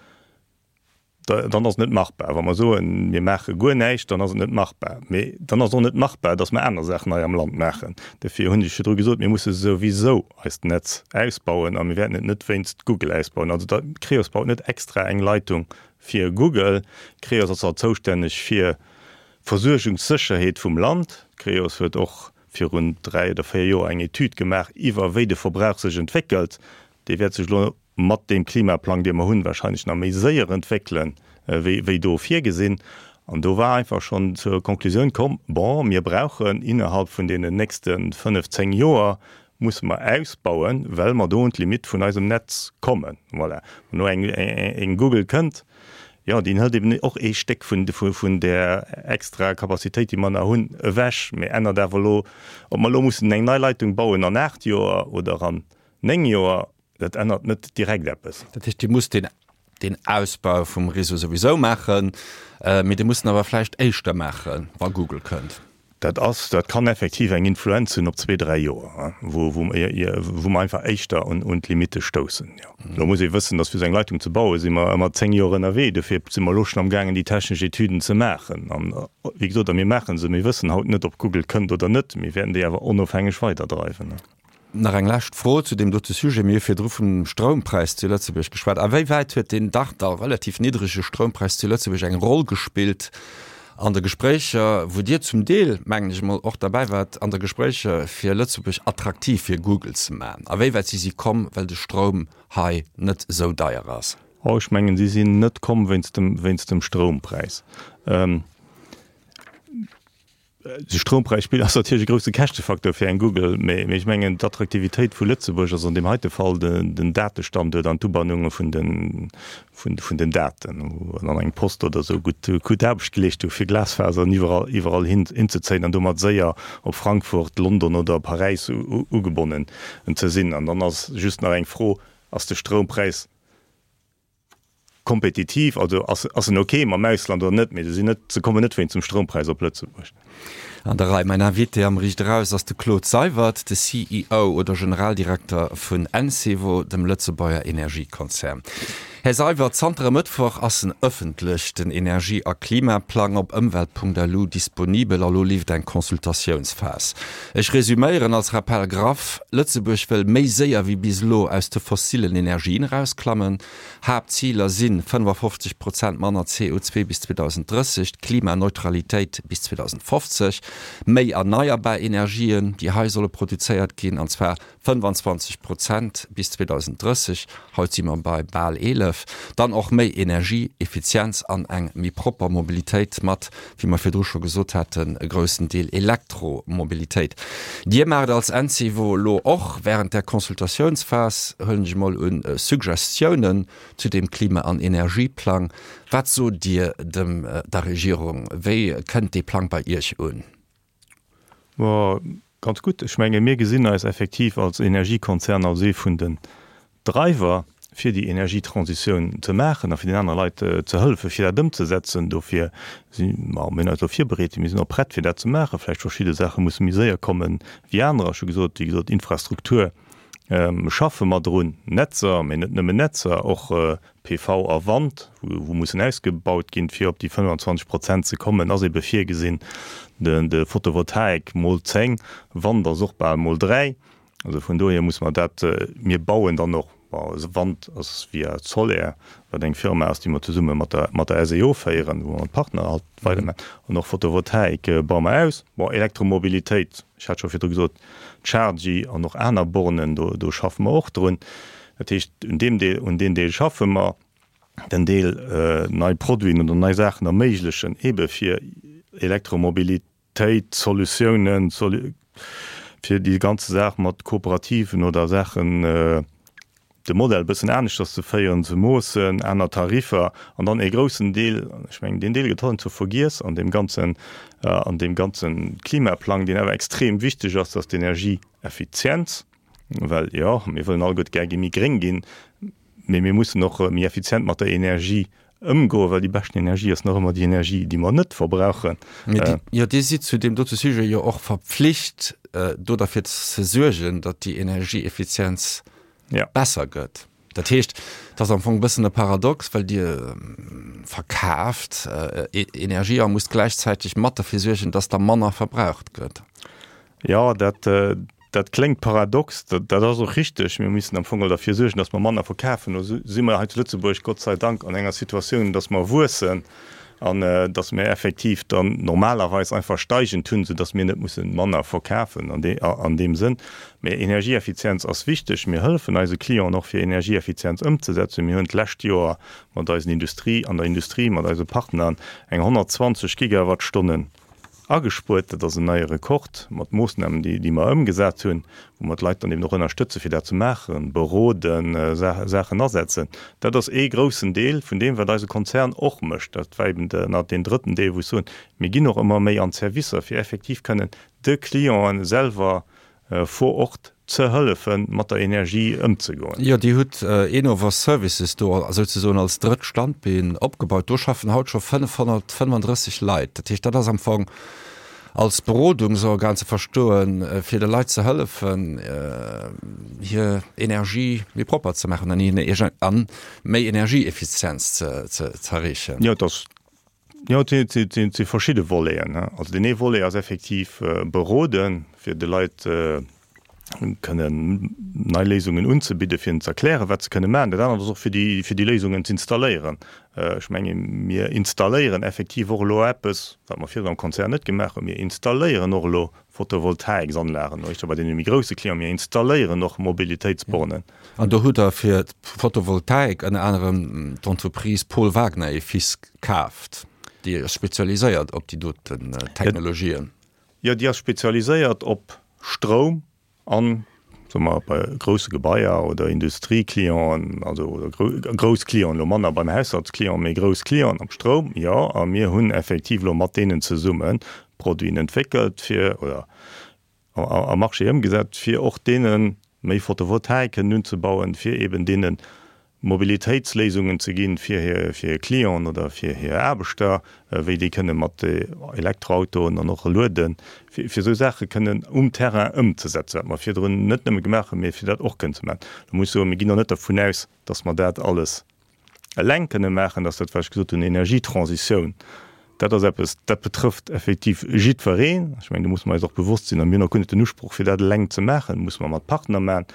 dann ass et net machbar. Wa mer soen, mir maache guer näischt, dann ass et net machbar. Mee dann ass et och net machbar, datt mer aner Saachen hei am Land maachen. Dofir hunn ech virdru gesot, mir musse souwisou eist Netz ausbauen a mir wäerten et net wéinst Google ausbauen. Also da, Creos baut net extra eng Leitung fir Google. Creos ass alt zoustänneg fir Versuergungssécherheet vum Land. D'Creos huet och virun 3 oder 4 Joer eng Etüd gemaach iwwer wéi de Verbrauch sech entwéckelt. Dee wäert sech elo mat deem Klimaplang, dee mer hunn, wahrscheinlech nach méi séier entwéckelen, wéi do virgesinn. An do war einfach schonn zur Konklusioun komm, bon, mir brauchen innerhalb vun deenen nächste 5, 10 Joer musse mer ausbauen, well mer do un d'Limitt vun eisem Netz kommen. Voilà. Wann elo eng Google kënnt, jo, déi hëlt eben och ee Stéck vun, vun där extra Capacitéit, déi mer nach hunn, ewech. Mee ännert awer elo, ob mer elo mussen eng nei Leitung bauen an 8 Joer oder an 9 Joer, dat ännert net direkt eppes. Dat heescht, Dir musst deen, deen Ausbau vum Réseau souwisou maachen, mee Dir musst en awer vläicht éischter maachen, wa Google kënnt. Dat ass, dat kann effektiv eng Influenz hunn op zwee, dräi Joer, wou, wou, wou mer einfach éischter un, un d'Limitte stoussen, jo. Elo muss ee wëssen, dass fir esou eng Leitung ze bauen, si mer ëmmer zéng Joer ënnerwee. Dofir si mer elo schonn amgaangen, déi technesch Etüden ze maachen. An, wéi gesot, a mir maache se. Mir wëssen haut net, ob Google kënnt oder net. Mir wäerten déi awer onofhängeg weiderdreiwen. Nach eng lescht Fro zu deem dote Sujet. Mir hu virdru vum Stroumpräis zu Lëtzebuerg geschwat. A wéi wäit huet deen dach da relativ niddrege Stroumpräis zu Lëtzebuerg eng Roll gespillt an de Gespréicher, wou Dir zum Deel, mengen ech emol, och derbäi waart, an de Gespréicher fir Lëtzebuerg attraktiv fir Google ze maachen? A wéi wäit si si komm, well de Stroum hei net esou deier ass? Oh, ech mengen, si sinn net komm wéinst dem, wéinst dem Stroumpräis. De Stroumpräis spillt, ass natierlech e grousse Käschtefacteur fir eng Google, mee ech mengen d'Attraktivitéit vu Lëtzebuerg ass an deem heite Fall den Datestanduert an d'Ubannunge vun den, vun den Daten, wou dann eng Post oder esou gutt, gutt Aarbecht geleescht hu fir Glasfasern iwwerall, iwwerall hin, hinzezéien an domat séier op Frankfurt, London oder Paräis ugebonnen ze sinn. An dann ass just nach eng Fro, Ass de Stroumpräis. kompetitiv, also ass ass en ok mam Ausland oder net, mee se sinn net, se kommen net wéinst dem Stroumpräis op Lëtzebuerg. An der Rei. Mäin Invité am Riicht Eraus ass de Claude Seywert, de CEO oder Generaldirekter vun Encevo, dem Lëtzebuerger Energiekonzern. Här Seywert, zanter e Mëttwoch ass en ëffentlech, den Energie a Klimaplang op ëmwelt.lu disponibel a lo leeft eng Consultatiounsphas. Ech resuméieren als Rappel graff, Lëtzebuerg wëll méi séier wéi bis elo aus de fossillen Energien erausklammen. Haaptziler si 55 Prozent manner CO2 bis 2030, d'Klimaneutralitéit bis 2050, méi erneierbar Energien, déi hei solle produzéiert ginn, an zwar 25 Prozent bis 2030, haut si mer bei bal 11, dann och méi Energieeffizienz an eng méi propper Mobilitéit mat, wéi mer virdru scho gesot haten, e groussen Deel Elektromobilitéit. Dir maacht als Encevo elo och während där Consultatiounsphas, huelen ech emol un, Suggestiounen zu deem Klima an Energieplang. Wat sot Dir dem der Regierung? Wéi kënnt dee Plang bei Iech un? Ganz gutt. Ech menge mir gesinn eis effektiv als Energiekonzern als ee vun den Driver, fir déi Energietransitioun ze maachen a fir den anere Leit ze hëllefen, fir dat ëmzesetzen. Dofir si mer, mir hunn eis elo virbereet, mir sinn och prett, fir dat ze maachen. Vläicht verschidde Saache musse méi séier komme wéi anerer. Ech hu gesot, wéi gesot, Infrastruktur schaffe mer drun, Netzer, mee net nëmmen Netzer, och PV a Wand, wou mussen ausgebaut ginn, fir op déi 25 Prozent ze kommen, ass ebe virgesinn. De Photovoltaik mol 10, Wand ass och bal mol 3. Also vun dohier musse mer dat, mir bauen dann och, bon, Wand ass via Soler, wat eng Firma ass, déi mer zesumme mat der, mat der SEO féieren, wou mer Partner halt weidermachen. An och Photovoltaik baue mer aus. Bon, Elektromobilitéit, ech hat scho virdru gesot, Chargy an och aner Bornen, do, do schaffe mer och drun. Dat heescht, un deem Deel, un deen Deel schaffe mer. Den Deel nei Produiten oder nei Saachen erméiglechen, eebe fir Elektromobilitéit, Solutiounen, fir déi ganze Saach mat Kooperativen oder Saachen, de Modell e bëssen aneschters ze féieren, ze moossen, aner Tariffer an dann ee groussen Deel, ech mengen, deen Deel gëtt heiansdo vergiess an deem ganzen, an deem ganze Klimaplang, deen awer extrem wichteg ass, dass d'Energieeffizienz. Well jo, mir wëllen alleguerte gär gi méi gréng ginn, mee mir mussen och méi effizient mat der Energie ëmgoen, well déi beschten Energie ass nach ëmmer déi Energie, déi mer net verbrauchen. Mee jo, Dir sidd zu deem dote Sujet jo och verpflicht, do derfir ze suergen, datt déi Energieeffizienz besser gëtt. Dat heescht, et ass am Fong e bëssen e Paradox, well Dir verkaaft Energie a musst gläichzäiteg mat derfir suergen, datt der manner verbraucht gëtt. Jo, dat, dat kléngt paradox, dat ass och richteg. Mir müssen am Fong geholl derfir suergen, datt mer manner verkafen. Lo si mer hei zu Lëtzebuerg Gott sei Dank an enger Situatioun, datt mer wuessen an datt mir effektiv dann normalerweis einfach steigend hunn, soudatt mir net mussen manner verkafen an deem Sënn. Mä Energieeffizienz ass wichteg. Mir hëllefen eise Clienten och, fir Energieeffizienz ëmzesetzen. Mir hunn d'lescht Joer mat eisen Industrie, an der Industrie, mat eise Partnern eng 120 Gigawattstonnen Agespuert, dat ass en neie Rekord mat Moossnamen, déi mer ëmgesat hunn, wou mer d'Leit dann eben och ënnerstëtzen, fir dat ze maachen, beroden, Saachen asetzen. Dat ass ee groussen Deel vun deem, wat eise Konzern och mécht. Dat war eben nach deen drëtten Deel, wou ech soen, mir ginn och ëmmer méi an d'Servicer, fir effektiv kënnen de Clienten selwer vor Ort ze hëllefen, mat der Energie ëmzegoen. Jo, Dir hutt Enova Services do souzesoen als drëtt Standbeen opgebaut. Do schaffen haut scho 535 Leit. Dat heescht, dat ass am Fong als Berodungsorgan ze verstoen, fir de Leit ze hëllefen, hir Energie méi propper ze maachen an méi Energieeffizienz ze erreechen. Jo, et ass Jo, et si verschidde Voleten. Also deen ee Volet ass effektiv beroden, fir de Leit kënnen nei Léisungen unzebidden, fir hinnen ze erklären, wat se kënne maachen. Dat anert ass och, fir déi, fir déi Léisungen z'installéieren. Ech menge mir installéieren effektiv och elo eppes, wat mer virdrun am Konzern net gemaach hunn, Mir installéieren och elo Photovoltaiksanlagen, éischter bei deene méi grousse Clienten, mir installéieren och Mobilitéitsbornen. An do hutt Der fir d'Photovoltaik ënner anerem d'Entreprise Paul Wagner et Fils kaaft, déi ass spezialiséiert op déi doten Technologien. Jo, déi ass spezialiséiert op Stroum an, soe mer, bei grousse Gebaier oder Industrieclienten, also oder grouss Clienten, elo manner beim Haushaltsclient, mee grouss Clienten am Stroum, jo. A mir hunn effektiv elo mat deenen zesummen Produiten entwéckelt fir, oder am Marché ëmgesat, fir och deene méi Photovoltaik kënnen unzebauen, fir eben deene. Mobilitéitsléisungen ze ginn fir hir fir hir Clienten oder fir hir Aarbechter, wéi déi kënne mat Elektroautoen an och lueden, fir fir esou Saache kënnen um Terrain ëmzesetzen, wat mer virdrun net nëmme gemaach hunn, mee fir dat och kënnen ze maachen. Da muss ech soen, mir ginn och net dervun aus, dass mer dat alles eleng kënne maachen, dass dat, wat ech gesot hunn, Energietransitioun, dat ass eppes, dat betrëfft effektiv jiddwereen. Ech mengen, do musse mer eis och bewosst sinn, a mir hunn och guer net den Usproch, fir dat eleng ze maachen, dat musse mer mat Partner maachen.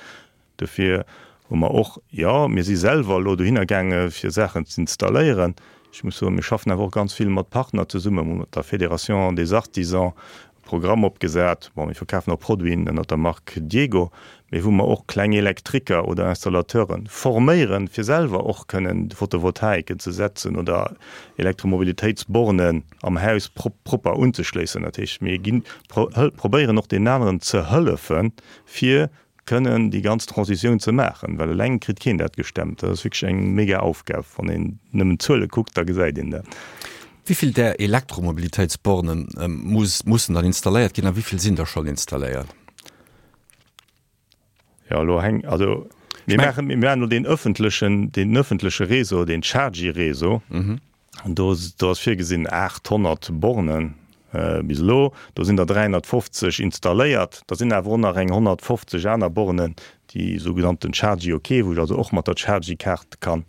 Dofir hu mer och, jo, mir si selwer elo dohinner gaange fir Saachen ze installéieren. Ech muss soen, mir schaffen awer och ganz vill mat Partner zesummen. Mir hu mat der Fédération des Artisans e Programm opgesat. Bon, mir verkafen och Produiten ënner der Mark Diego, mee wou mer och kleng Elektriker oder Installateure forméieren, fir selwer och kënnen Photovoltaiken ze setzen oder Elektromobilitéitsbornen am Haus propper unzeschléissen. Dat heescht, mir ginn, probéieren och deenen aneren ze hëllefen, fir kënnen déi ganz Transitioun ze maachen, well eleng kritt keen dat gestemmt. Dat ass wierklech eng mega Aufgab. Wann een nëmmen d'Zuele kuckt, da gesäit een dat. Wéi vill där Elektromobilitéitsborne mussen dann installéiert ginn a wéi vill sinn der schonn installéiert? Jo, elo hänk, also mir maachen, mir maachen elo deen ëffentlechen, deen ëffentleche Réseau, deen Chargy-Réseau. Do do ass virgesinn 800 Bornen bis elo. Do sinn der 350 installéiert. Da sinn awer och nach eng 150 aner Bornen, déi sougenannten Chargy OK, wou ech also och mat der Chargy-Kaart kann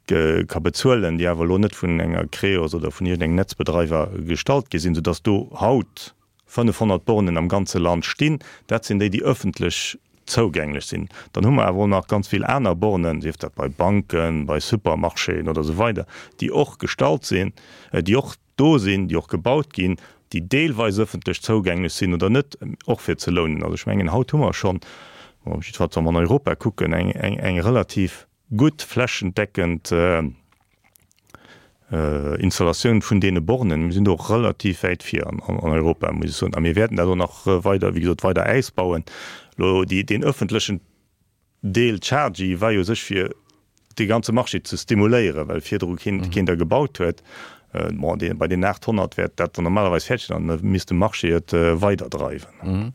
ka bezuelen, déi awer elo net vun enger Creos oder vun iergendengem Netzbedreiwer gestallt gi sinn, soudass do haut 500 Bornen am ganze Land stinn. Dat sinn déi, déi ëffentlech zougänglech sinn. Dann hu mer awer och nach ganz vill aner Bornen, sief dat bei Banken, bei Supermarchéen oder esou weider, déi och gestallt sinn, déi och do sinn, déi och gebaut ginn, déi deelweis ëffentlech zougänglech sinn oder net, och fir ze lounen. Also ech mengen, haut hu mer schonn, jiddefalls wa mer an Europa kucken, eng relativ gutt flächendeckend Installatioun vun deene Bornen. Mir sinn do och relativ wäit vir an Europa, muss ech soen. A mir wäerten dat och nach weider, wéi gesot, weider ausbauen. Elo déi, deen öffentlechen Deel, d'Chargy, war jo u sech fir dee ganze Marché ze stimuléieren, well virdru keen, keen der gebaut huet. Bon, dee, bei deenen 800 wäert dat dann normalerweis fäerdeg sinn an da misst de Marché et weiderdreiwen.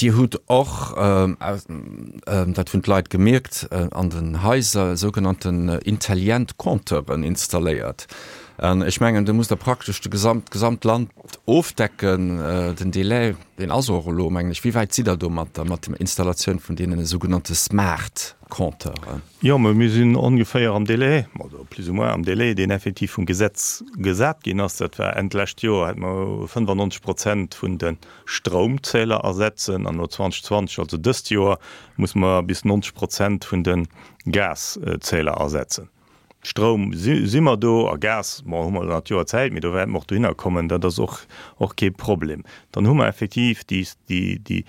Dir hutt och, dat hunn d'Leit gemierkt, an den Haiser sougenannten intelligent Compteuren installéiert. An ech mengen, do musst Der praktesch de gesamt, d'gesamt Land ofdecken. Den Delai, deen ass och elo, mengen ech. Wéi wäit sidd Der do mat der, mat der Installatioun vun deenen sougenannte smart Compteuren? Jo, mä mir sinn ongeféier am Délai, also plus ou moins am Délai, deen effektiv vum Gesetz gesat ginn ass. Dat war Enn d'lescht Joer, hätte mer 95 Prozent vun de Stroumzähler ersetzen an no 2020, also dëst Joer, musse mer bis 90 Prozent vun de Gaszähler ersetzen. Stroum si mer do a Gas, bon, hu mer nach d'Joer Zäit, mee do wäerte mer och dohinner kommen, dat ass och och kee Problem. Dann hu mer effektiv déi déi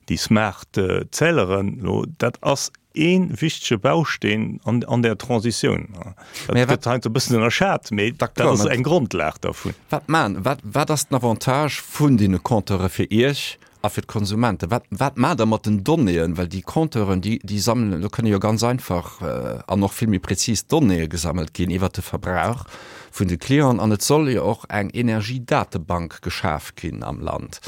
déi smart Zähleren elo. Dat ass ee wichtege Bausteen an an där Transitioun. Dat gëtt heiansdo e bëssen ënnerschat, mee dat ass eng Grondlag dervun. Wat man, wat wat ass den Avantage vun deene Compteure fir Iech a fir d'Konsumenten? Wat wat maacht Der mat den Donnéeën? Well déi Compteuren, déi déi sammelen, do kënne jo ganz einfach an och vill méi prezis Donnéeë gesammelt ginn iwwert de Verbrauch vun de Clienten. An et soll jo och eng Energiedatebank geschaf ginn am Land.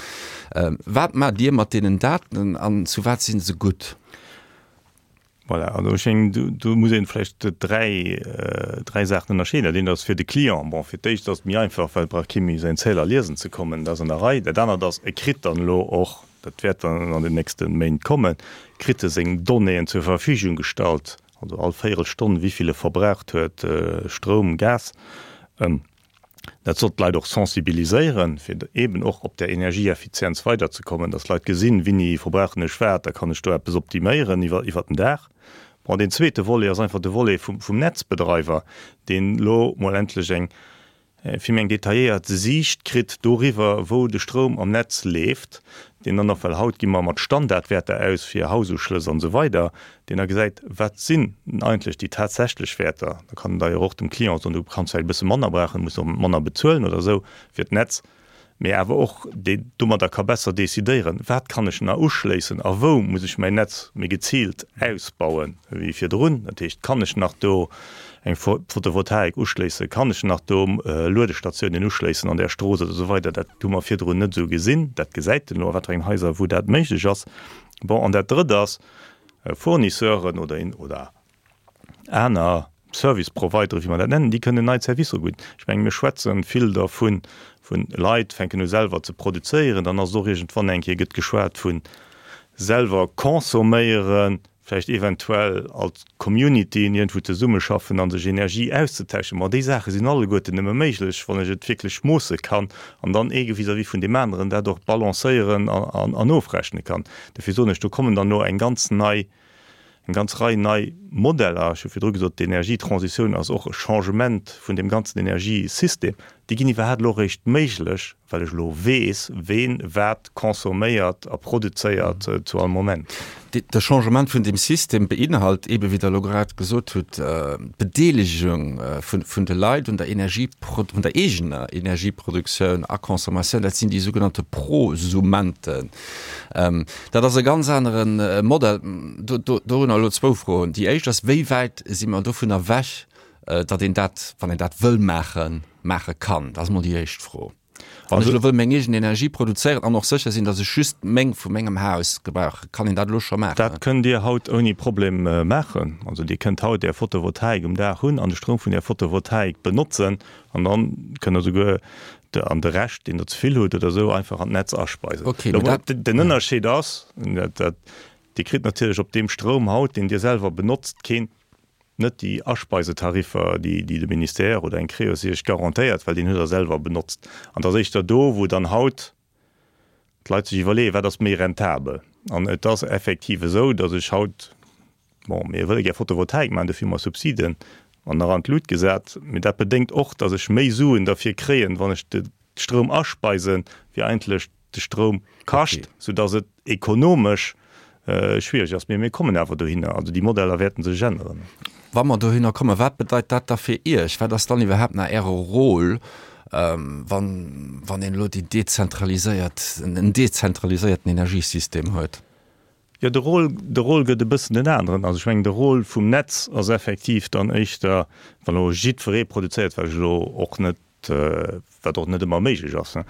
Wat maacht Dir mat deenen Daten an zu wat si se gutt? Voilà, also ech mengen, do, do muss een vläicht dräi, dräi Saachen ënnerscheeden. Dat eent ass fir de Client, bon, fir d'éischt ass et méi einfach, well et brauch kee méi säin Zähler liesen ze kommen, dat ass an der Rei. Dat anert ass, e kritt dann elo och, dat wäert dann an den nächste Méint kommen, kritt e seng Donnéeën zur Verfügung gestallt, also all Véierelstonn, wéi vill e verbraucht huet, Stroum, Gas. Dat soll d'Leit och sensibiliséieren, fir eeben och op där Energieeffizienz weiderzekommen, dass d'Leit gesinn, Wéini verbrauchen ech wat, da kann ech do eppes optiméieren iwwer iwwer den Dag. Bon, deen zweete Volet ass einfach de Volet vum vum Netzbedreiwer, deen elo mol endlech eng vill méi eng detailléiert Siicht kritt doriwwer, wou de Stroum am Netz leeft, deen dann och, well haut gi mer mat Standardwäerter aus fir Haususchlëss an esou weider, deen da gesäit, wat sinn eigentlech déi tatsächlech Wäerter. Da kann en d'ailleurs och dem Client soen, du kanns vläicht e bësse manner brauchen, muss och manner bezuelen oder esou fir d'Netz, mee awer och deen domadder ka besser decidéieren, wat kann ech nach uschléissen a wou muss ech mäin Netz méi geziilt ausbauen wéi virdrun. Dat heescht, kann ech nach do eng Photovoltaik uschléissen, kann ech nach do Luedestatiounen uschléissen an där Strooss oder esou weider. Dat hu mer virdrun net esou gesinn. Dat gesäit en elo a wat fir engen Haiser, wou dat méiglech ass. Bon, an dat Drëtt ass, Fournisseuren oder oder. Aner Service Providere, wéi mer dat nennen, déi kënnen nei Servicer ubidden. Ech mengen, mir schwätze vill dervun, vu Leit fänken u selwer ze produzéieren, dann ass et och iergendwann eng Kéier gëtt geschwat vu selwer consomméieren, vläicht eventuell als Communityen iergendwou zesummeschaffen a sech Energie auszetauschen. Ma déi Saache sinn alleguerten nëmme méiglech, wann ech et wierklech moosse kann an dann ee vis-à-vis vun deem aneren dat och balancéieren an ofrechne kann. Dofir soen ech, do kommen dann elo eng ganz nei, eng ganz Rei nei Modeller. Ech hu virdru gesot, d'Energietransitioun ass och e Changement vun deem ganzen Energiesystem. Déi ginn iwwerhaapt elo eréischt méiglech, well ech elo weess, ween wat consomméiert a produzéiert zu all Moment. De Changement vun deem System beinhalt eebe, wéi Der elo grad gesot hutt, d'Bedeelegung vun de Leit un der Energie, un der eegener Energieproduktioun a Consommatioun. Dat sinn déi sougenannte Prosumenten. Dat ass e ganz anere Modell. Dorunner elo zwou Froen. Déi éischt ass, Wéi wäit si mer dovun ewech, datt een dat, wann een dat wëll maachen, maache kann? Dat ass emol déi éischt Fro. Wann ech elo wëll meng eegen Energie produzéieren an och sécher sinn, datt ech just meng vu mengem Haus gebrauche, kann een dat elo scho maachen? Dat kënnt Dir haut ouni Problem maachen. Also Dir kënnt haut Är Photovoltaik um Daach hunn an de Stroum vun Är Photovoltaik benotzen an dann kënnt Der souguer an de Rescht, deen Der ze vill hutt oder esou, einfach an d'Netz aspeisen. Okay, mee dat. Den Ënnerscheed ass, dat Dir kritt natierlech op deem Stroum haut, deen Dir selwer benotzt, keen, net déi Aspeisetariffer, déi de Ministère oder eng Creos Iech garantéiert, well deen hutt Der selwer benotzt. An et ass éischter do, wou dann haut d'Leit sech iwwerleeën, wat ass méi rentabel. An et ass effektiv esou, datt ech haut, bon, mir wëlle gär Photovoltaik maachen, dofir hu mer Subsiden an nach an d'Lut gesat, mee dat bedéngt och, datt ech méi Suen derfir kréien, wann ech de Stroum aspeisen, wéi eigentlech de Stroum kascht, soudatt et ekonomesch schwiereg ass. Mee mir kommen awer dohinner. Also déi Modeller wäerten sech änneren. Wa mer dohinner kommen, wat bedeit dat da fir Iech? Wat ass dann iwwerhaapt nach Äre Rôle, wann, wann een elo déi dezentraliséiert, en dezentraliséierten Energiesystem huet? Jo, de Rôle, de Rôle gëtt e bëssen en aneren. Also ech mengen, de Rôle vum Netz ass effektiv dann éischter, wann elo jiddweree produzéiert, wat ech elo och net, wat och net ëmmer méiglech ass,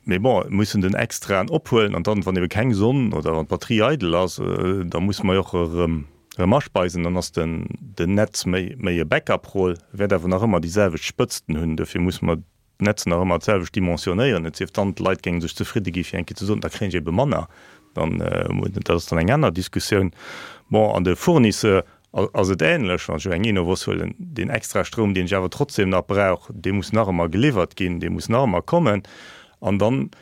mee bon, et muss en den extraen ophuelen an dann, wann ebe keng Sonn oder wann d'Batterie eidel ass, da musse mer jo och erëm, erëm aspeisen. Dann ass den, den Netz méi, méi e Backup-Rôle, wäert awer nach ëmmer déi selwecht Spëtzten hunn. Dofir musse mer d'Netz nach ëmmer d'selwecht dimensionéieren, et sief dann, d'Leit géinge sech zefridde gi fir eng Kéier ze soen, da kréien ech ebe manner, dann, dat ass dann eng aner Diskussioun. Bon, an de Fournisseur ass et ähnlech, wann ech elo eng Enovos huelen, deen extra Stroum, deen ech awer trotzdem nach brauch, dee muss nach ëmmer geliwwert ginn, dee muss nach ëmmer kommen. An dann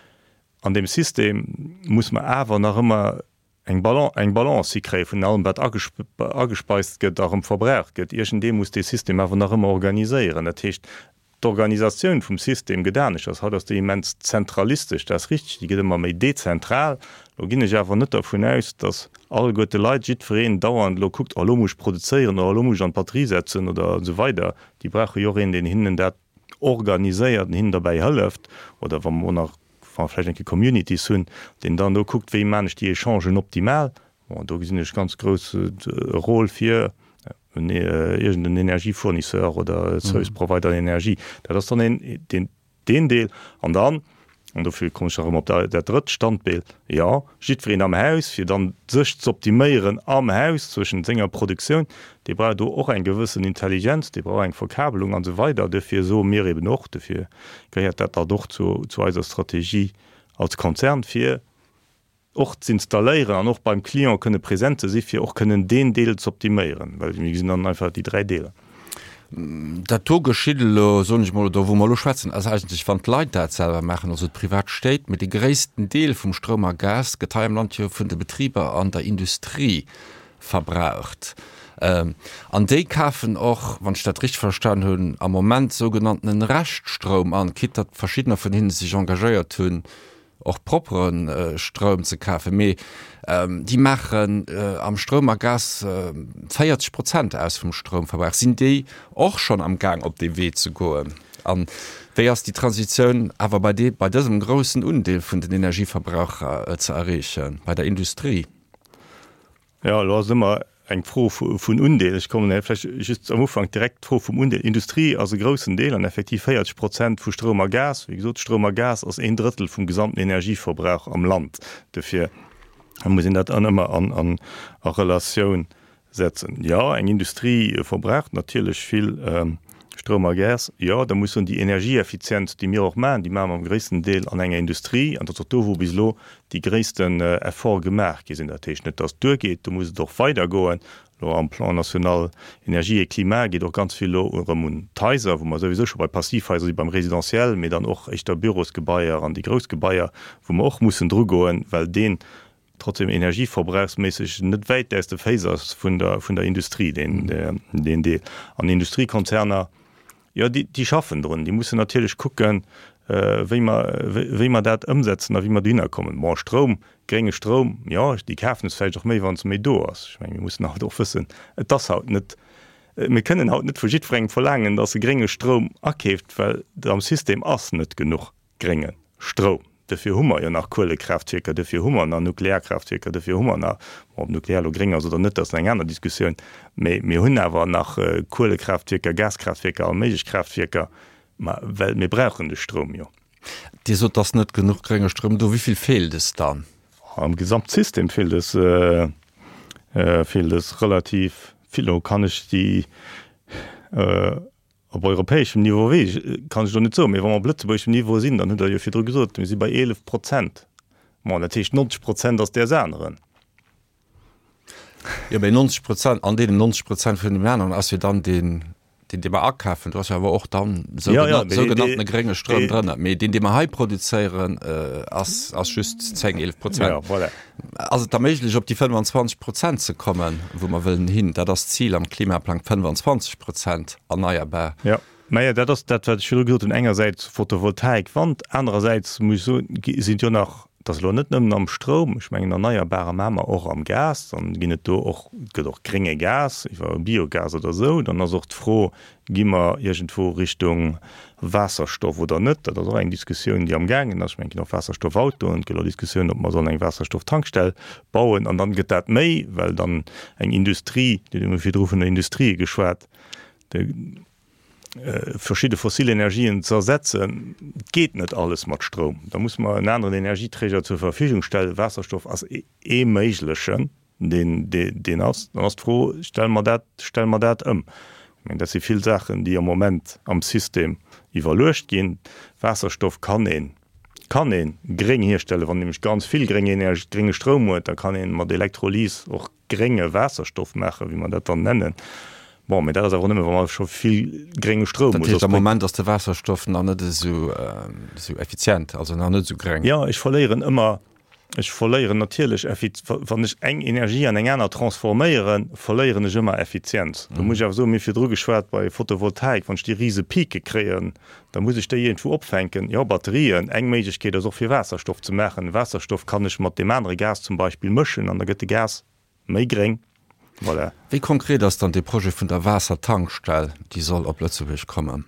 an deem System muss mer awer nach ëmmer eng eng Balance hikréie vun allem wat agespeist gëtt a rëm verbraucht gëtt. Iergendee muss dee System awer nach ëmmer organiséieren. Dat heescht, d'Organisatioun vum System gëtt aneschters. Haut ass déi immens zentralistesch, dat ass richteg, déi gëtt ëmmer méi dezentral. Elo ginn ech awer net dervun aus, datt alleguerte Leit, jiddwereen dauernd elo kuckt, oh elo muss ech produzéieren oder elo muss ech an d'Batterie setzen oder esou weider. Déi brauche jo och een, deen hinnen dat organiséiert an hinnen derbäi hëlleft. Oder wa mer och nach wa mer vläicht eng Kéier Communities hunn, deen dann do kuckt, wéi maan ech déi Echangen optimal. Bon, do gesinn ech ganz grouss e Rôle fir en iergend en Energiefournisseur oder e Service Provider Energie. Dat ass dann een, deen, deen Deel. An dann, an dofir kommen ech nach erëm op dat drëtt Standbeel, jo, jiddwereen am Haus, fir dann sech z'optiméieren am Haus zwëschent senger Produktioun, dee brauch do och eng gewëssen Intelligenz, dee brauch eng Verkabelung an esou weider. Duerfir soe mir eben och, duerfir gehéiert dat dann och zu, zu eiser Strategie als Konzern, fir och z'installéieren an och beim Client kënne present ze si fir och kënnen deen Deel z'optiméieren, well mir gesinn dann einfach déi 3 Deeler. Dat do geschitt elo, soen ech mol, oder wou mer elo schwätzen, ass eigentlech, wann d'Leit dat selwer maachen, also d'privat Stéit. Mee de gréissten Deel vum Stroum a Gas gëtt hei am Land jo vun de Betriber an der Industrie verbraucht. An déi kafen och, wann ech dat richteg verstan hunn, am Moment sougenanntenen Reschtstroum an, quitte datt verschiddener vun hinne sech engagéiert hunn, och proppere Stroum ze kafen, mee déi maachen am Stroum a Gas 40 Prozent aus vum Stroumverbrauch. Sinn déi och schonn am Gaang op dee Wee ze goen? An wéi ass déi Transitioun awer bei dee bei dësem groussen Undeel vun den Energieverbraucher ze erreechen, bei der Industrie? Jo, elo ass et ëmmer eng Fro vun Undeel. Ech kommen vläicht just am Ufank direkt d'Fro vum Undeel. Industrie ass e groussen Deel an effektiv 40 Prozent vu Stroum a Gas. Wéi gesot, Stroum a Gas ass een Drëttel vum gesamten Energieverbrauch am Land. Dofir muss een dat dann ëmmer an a Relatioun. Setzen. Jo, eng Industrie verbraucht natierlech vill Stroum a Gas. Jo, da muss soen, déi Energieeffizienz, déi mir och maachen, déi maache mer am gréissten Deel an enger Industrie. An dat ass och do, wou bis elo déi gréissten Efforte gemaach gi sinn. Dat heescht net, datt et duergeet, do muss et och weidergoen. Elo am Plan national énergie et climat geet och ganz vill elo erëm un d'Haiser, wou mer souwisou scho bei Passivhaiser si beim Résidentiel, mee dann och éischter Bürosgebaier an déi grouss Gebaier, wou mer och mussen drugoen, well deen trotzdem energieverbrauchsméisseg net wäit aus de Féiss ass vun der, vun der Industrie, deen, deen Deel. An Industriekonzerner, jo, déi, déi schaffen drun. Déi mussen natierlech kucken, wéi mer, wéi mer dat ëmsetzen a wéi mer dohinner kommen. Bon, Stroum, grénge Stroum, jo, déi kafen es vläicht och méi, wann se méi do ass. Ech mengen, mir mussen haut och wëssen, et ass haut net, mir kënnen haut net vu jiddwerengem verlaangen, dass e grénge Stroum akeeft, well am System ass net genuch. Grénge Stroum. Dofir hu mer jo nach Kuelekraaftwierker, dofir hu mer nach Nuklearkraaftwierker, dofir hu mer nach, bon, ob Nuklear elo gréng ass oder net, dat ass eng aner Diskussioun, mä mir hunn awer nach Kuelekraaftwierker, Gaskraaftwierker, all méiglech Kraaftwierker, ma well mir brauchen de Stroum jo. Dir sot, et ass net genuch grénge Stroum do. Wéi vill feelt es dann? Am Gesamtsystem feelt es, feelt es relativ vill. Elo kann ech déi. Op europäeschem Niveau weess ech, kann ech elo net soen, mee wa mer op lëtzebuergeschem Niveau sinn, dann hutt Der jo virdru gesot, mir si bei 11 Prozent. Bon, dat heescht 90 Prozent ass däers aneren. Jo, mee 90 Prozent, an deenen 90 Prozent vun deem aneren ass jo dann deen, deen, dee mer akafen, do ass jo awer och dann sougenanntene grénge Stroum drënner. Mee deen, dee mer hei produzéieren, ass, ass just 10, 11 Prozent. Jo, voilà. Ass et da méiglech, op déi 25 Prozent ze kommen, wou mer wëllen hin? Dat ass d'Zil am Klimaplang, 25 Prozent erneierbar. Jo, majo, dat ass dat, wat ech virdru gesot hunn, engersäits Photovoltaik, Wand, anerersäits muss ech soen, sinn et jo nach, et ass elo net nëmmen am Stroum, ech mengen Erneierbarer maache mer och am Gas, dann ginn et do och, et gëtt och grénge Gas iwwer Biogas oder esou. Dann ass och d'Fro, Gi mer iergendwou Richtung Waasserstoff oder net? Dat ass och eng Diskussioun, déi amgaangen ass. Ech mengen, et ginn och Waasserstoffautoen. Et gëtt och Diskussioun, ob mer sollen eng Waasserstofftankstell bauen. An dann gëtt dat méi, well dann eng Industrie, Dir hutt virdru vun der Industrie geschwat, déi verschidde fossil Energien ze ersetzen. Et geet net alles mat Stroum. Da muss mer en aneren Energieträger zur Verfügung stellen. Waasserstoff ass ee méiglechen. deen, deen ass, dann ass d'Fro, Stelle mer dat, stelle mer dat ëm? Ech mengen, dat si vill Saachen, déi am Moment am System iwwerluecht ginn. Waasserstoff kann een, kann ee gréng hierstellen, wann een nämlech ganz vill gréng Energie, grénge Stroum huet, da kann ee mat Elektrolys och grénge Waasserstoff maachen, wéi mer dat dann nennen. Bon, mee dat ass awer och nëmme, wa mer scho vill grénge Stroum hunn. Dat heescht, am Moment ass de Waasserstoff nach net esou, esou effizient, also nach net esou gréng. Jo, ech verléieren ëmmer Ech verléieren natierlech Effiz-, wann ech eng Energie an eng aner transforméieren, verléieren ech ëmmer Effizienz. Do muss ech awer soen, mir hu virdru geschwat bei Photovoltaik, wann ech déi rise Pike kréien, da muss ech déi iergendwou opfänken. Jo, Batterien, eng Méiglechkeet ass och fir Waasserstoff ze maachen. Waasserstoff kann ech mat deem anere Gas zum Beispill mëschen an da gëtt de Gas méi gréng. Voilà. Wéi konkret ass dann dee Projet vun der Waassertankstell, déi soll op Lëtzebuerg kommen?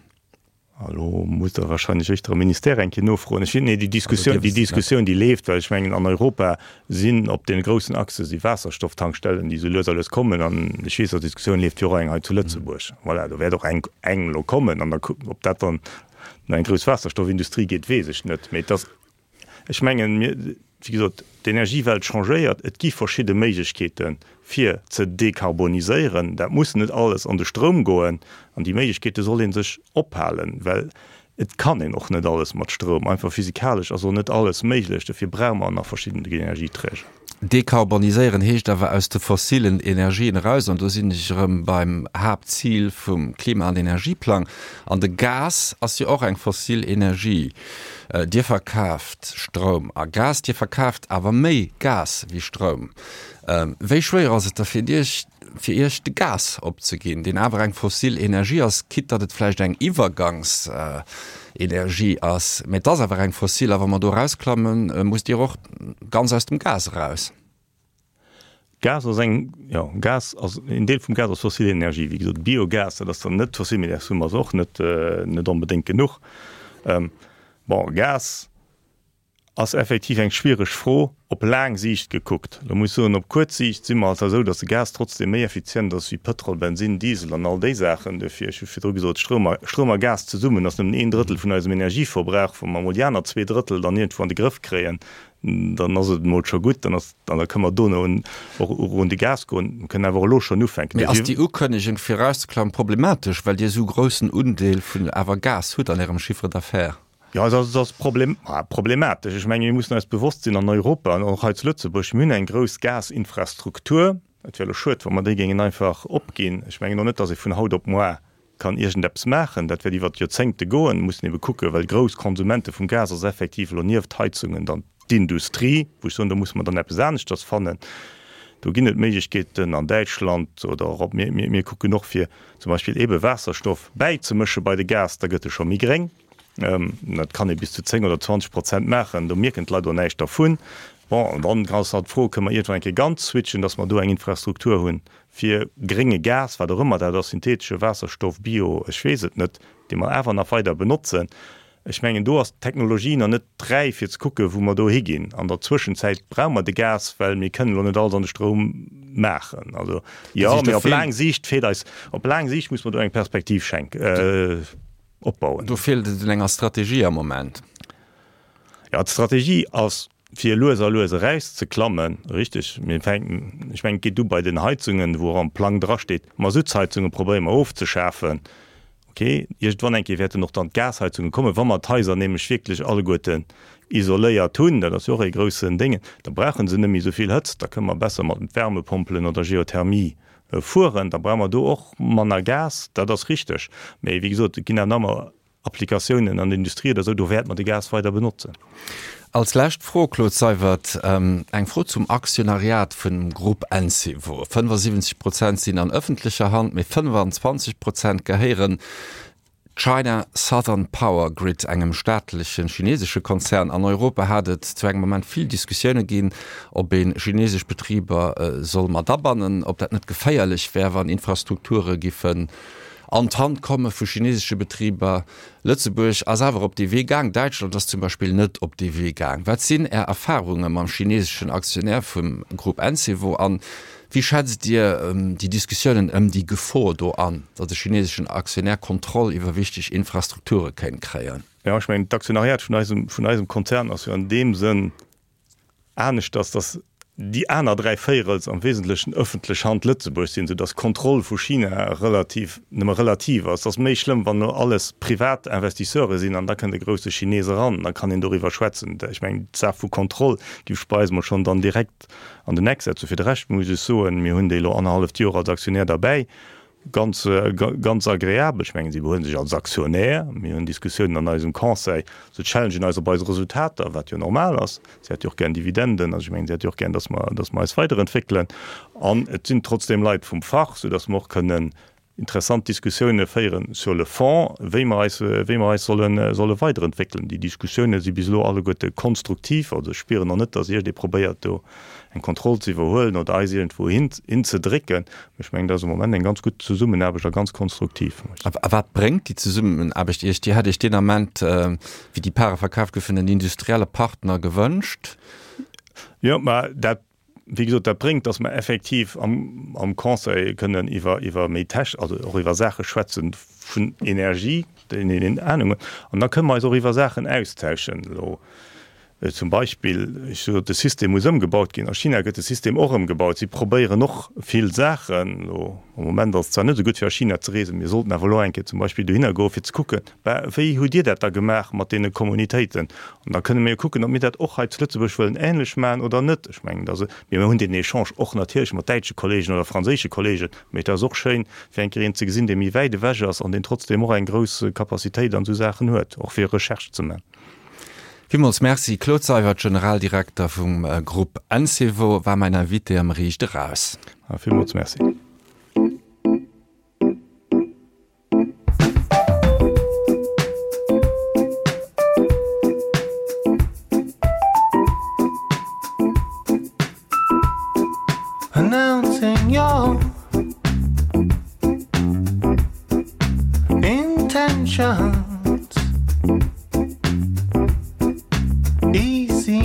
Elo musst Der wahrscheinlech éischter am Ministère eng Kéier nofroen. Ech, nee, déi Diskussioun, déi Diskussioun, déi leeft, well ech mengen, an Europa sinn op deene groussen Achse si Waasserstofftankstellen, déi esou lues a lues kommen. An ech weess, datt d'Diskussioun leeft fir och eng hei zu Lëtzebuerg. Voilà, do wäert och eng, eng elo kommen. An da, ob dat dann no eng grouss Waasserstoffindustrie gétt, weess ech net. Mee et ass Ech mengen, mir, wéi gesot, d'Energiewelt changéiert. Et gi verschidde Méiglechkeete fir ze dekarboniséieren. Dat muss net alles an de Stroum goen. An déi Méiglechkeete soll ee sech ophalen, well et kann een och net alles mat Stroum. Einfach physikalesch ass och net alles méiglech. Dofir brauche mer nach verschidden Energieträger. Dekarboniséieren heescht awer aus de fossilen Energien eraus, an do sinn ech erëm beim Haaptzil vum Klima an Energieplang. An de Gas ass jo och eng fossil Energie. Dir verkaaft Stroum a Gas, Dir verkaaft awer méi Gas wéi Stroum. Wéi schwéier ass et da fir Iech, fir Iech de Gas opzeginn, deen awer eng fossil Energie ass, quitte datt et vläicht eng Iwwergangsenergie ass, mä et ass awer eng fossil a wa mer do erausklammen, musst Dir och ganz aus dem Gas eraus. Gas ass eng, jo, Gas ass, en Deel vum Gas ass fossil Energie, wéi gesot, Biogas, dat ass dann net fossil, mee dat hu mer och net, net onbedéngt genuch. Bon, Gas. Ass effektiv eng schwiereg Fro, op laang Siicht gekuckt. Elo muss ech soen, op kuerz Siicht si mer alt esou, datt de Gas trotzdem méi effizient ass wéi Pëtrol, Bensinn, Diesel an all déi Saachen. Duerfir, ech hu virdru gesot, Stroum a, Stroum a Gas zesummen ass nëmmen een Drëttel vun eisem Energieverbrauch. Wa mer emol déi aner zwee Drëttel dann iergendwou an de Grëff kréien, dann ass et emol scho gutt. Dann ass, dann da kënne mer dono un, och un de Gas goen. Mer kënnen awer och elo schonn ufänken. Mee ass déi Ukënnegung fir erauszeklammen problematesch, well Dir esou groussen Undeel vun awer Gas hutt an Ärem Chiffre d'affaires? Jo, et ass problematesch. Ech menge mir mussen eis bewosst sinn, an Europa an och hei zu Lëtzebuerg, mir hunn eng grouss Gasinfrastruktur. Et wär elo schued, wa mer déi géingen einfach opginn. Ech mengen och net, datt ee vun haut op moar kann iergendeppes maachen. Dat wäert iwwert Joerzéngte goen. Mir mussen ebe kucken, well grouss Konsumente vum Gas ass effektiv elo nieft Heizungen dann d'Industrie, wou ech soen, do musse mer dann eppes aneschters fannen. Do ginn et Méiglechkeeten an Däitschland oder och op, mir, mir kucken och fir zum Beispill ebe Waasserstoff bäizemësche bei de Gas, da gëtt e scho méi gréng. Dat kann ee bis zu 10 oder 20 Prozent maachen, do mierken d'Leit och näischt dervun. Bon, an dann ass halt d'Fro, Kënne mer iergendwann eng Kéier ganz switchen, dass mer do eng Infrastruktur hunn fir grénge Gas, wat och ëmmer dat ass, syntheetesche Waasserstoff, Bio, ech weess et net, dee mer awer nach weider benotzen. Ech mengen, do ass d'Technologie nach net räif, fir ze kucken, wou mer do higinn. An der Zwëschenzäit brauche mer de Gas, well mir kënnen elo net alles an de Stroum maachen. Also jo, mee op laang Siicht feelt eis, op laang Siicht muss mer do eng Perspektiv schenken. Opbauen. Do feelt et un enger Strategie am Moment. Jo, d'Strategie ass, fir lues a lues erauszeklammen, richteg. Mir fänken, ech mengen, et geet u bei den Heizungen, wou och am Plang drasteet, Masuttsheizunge probéiere mer ofzeschafen. Okay, iergendwann eng Kéier wäerten och dann d'Gasheizunge kommen, wa mer d'Haiser nämlech wierklech alleguerten isoléiert hunn, dat ass jo och ee groussen Déngen, da brauche se net méi esou vill Hëtzt, da kënne mer besser mat Wärmepompelen oder Geothermie Fueren, da brauche mer do och manner Gas, dat ass richteg. Mee wéi gesot, et ginn awer nach ëmmer Applikatiounen an der Industrie oder esou, do wäerte mer de Gas weider benotzen. Als lescht Fro, Claude Seywert, eng Fro zum Aktionariat vum Grupp Encevo. 75 Prozent sinn an ëffentlecher Hand, mee 25 Prozent gehéieren China Southern Power Grid, engem staatleche chinesesche Konzern. An Europa hat et zu engem Moment vill Diskussioune ginn, ob ee chinesesch Betriber soll mat abannen, ob dat net geféierlech wär, wann Infrastrukture giffen an d'Hand komme vu chinesesche Betriber. Lëtzebuerg ass awer op dee Wee gaang, Däitschland ass zum Beispill net op dee Wee gaang. Wat sinn Är Erfarunge mam chineseschen Aktionär vum Grupp Encevo an Wéi schätzt Dir déi Diskussiounen ëm déi Gefor do an, datt e chineseschen Aktionär Kontroll iwwer wichteg Infrastrukture kéint kréien? Jo, ech mengen, d'Aktionariat vun eisem, vun eisem Konzern ass jo an deem Sënn aneschters, datt déi aner 3 Véirels am Wesentlechen ëffentlech Hand Lëtzebuerg sinn, soudatt d'Kontroll vu China relativ, nëmme relativ ass. Et ass méi schlëmm, wann elo alles privat Investisseure sinn an da kënnt e grousse Chines eran, da kann een doriwwer schwätzen. Ech mengen, d'Saach vu Kontroll géif ech bei eis emol schonn dann direkt An den Eck setzen. Fir de Rescht muss ech soen, mir hunn déi elo annerhalleft Joer als Aktionär derbäi, ganz, ganz agreabel. Ech mengen, si behuelen sech als Aktionär. Mir hunn Diskussiounen an eisem Conseil, se challengen eis op eis Resultater, wat jo normal ass. Si hätt jo och gären Dividenden, also ech mengen, si hätt jo och gären, dass mer, dass mer eis weiderentwéckelen. An et sinn trotzdeem Leit vum Fach, soudass mer och kënnen interessant Diskussioune féieren sur le fond, wéi mer eis, wéi mer eis solle, solle weiderentwéckelen. Déi Diskussioune si bis elo alleguerte konstruktiv. Also ech spieren och net, datt iergendee probéiert do eng Kontroll ze iwwerhuelen oder eis iergendwou hin, hinzedrécken. Mee ech mengen, dat ass am Moment eng ganz gutt Zesummenaarbecht a ganz konstruktiv. A wat bréngt déi Zesummenaarbecht Iech? Dir hat Iech deen Ament, wéi déi Pare verkaaft goufen, en industrielle Partner gewënscht. Jo, mä dat Wéi gesot, dat bréngt, dass mer effektiv am, am Conseil kënnen iwwer, iwwer méi tech-, also och iwwer Saache schwätzen vun Energie, déi een Ahnung huet. An da kënnen mer eis och iwwer Saachen austauschen. Elo zum Beispill, ech sot, de System muss ëmgebaut ginn. A China gëtt de System och ëmgebaut. Si probéieren och vill Saachen. Elo am Moment ass et zwar net esou gutt fir a China ze reesen, mir sollten awer elo eng Kéier zum Beispill dohinner goen, fir ze kucken, Bah, wéi hutt Dir dat da gemaach mat deene Kommunitéiten? An da kënne mir jo kucken, ob mir dat och hei zu Lëtzebuerg wëllen ähnlech maachen oder net. Ech mengen, dass, mir hunn deen Echange och natierlech mat däitsche Kollegen oder franséische Kollegen, mee et ass och schéin, fir eng Kéier een ze gesinn, dee méi wäit ewech ass an deen trotzdeem och eng grouss Capacitéit an esou Saachen huet, och fir Recherche ze maachen. Villmools Merci. Claude Seywert, Generaldirekter vum Grupp Encevo, war mäin Invité am Riicht Eraus. Villmools Merci. Announcing your intentions Easy.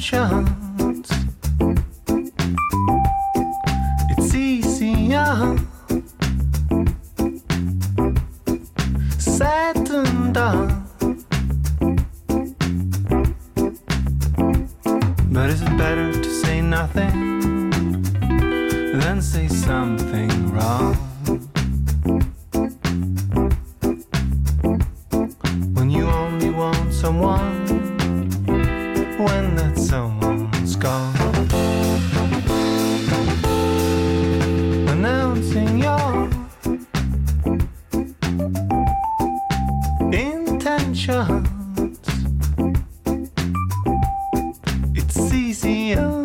Intentions It's easier said than done But is it better to say nothing than say something wrong? When you only want someone when that someone's gone Announcing your intentions It's easier.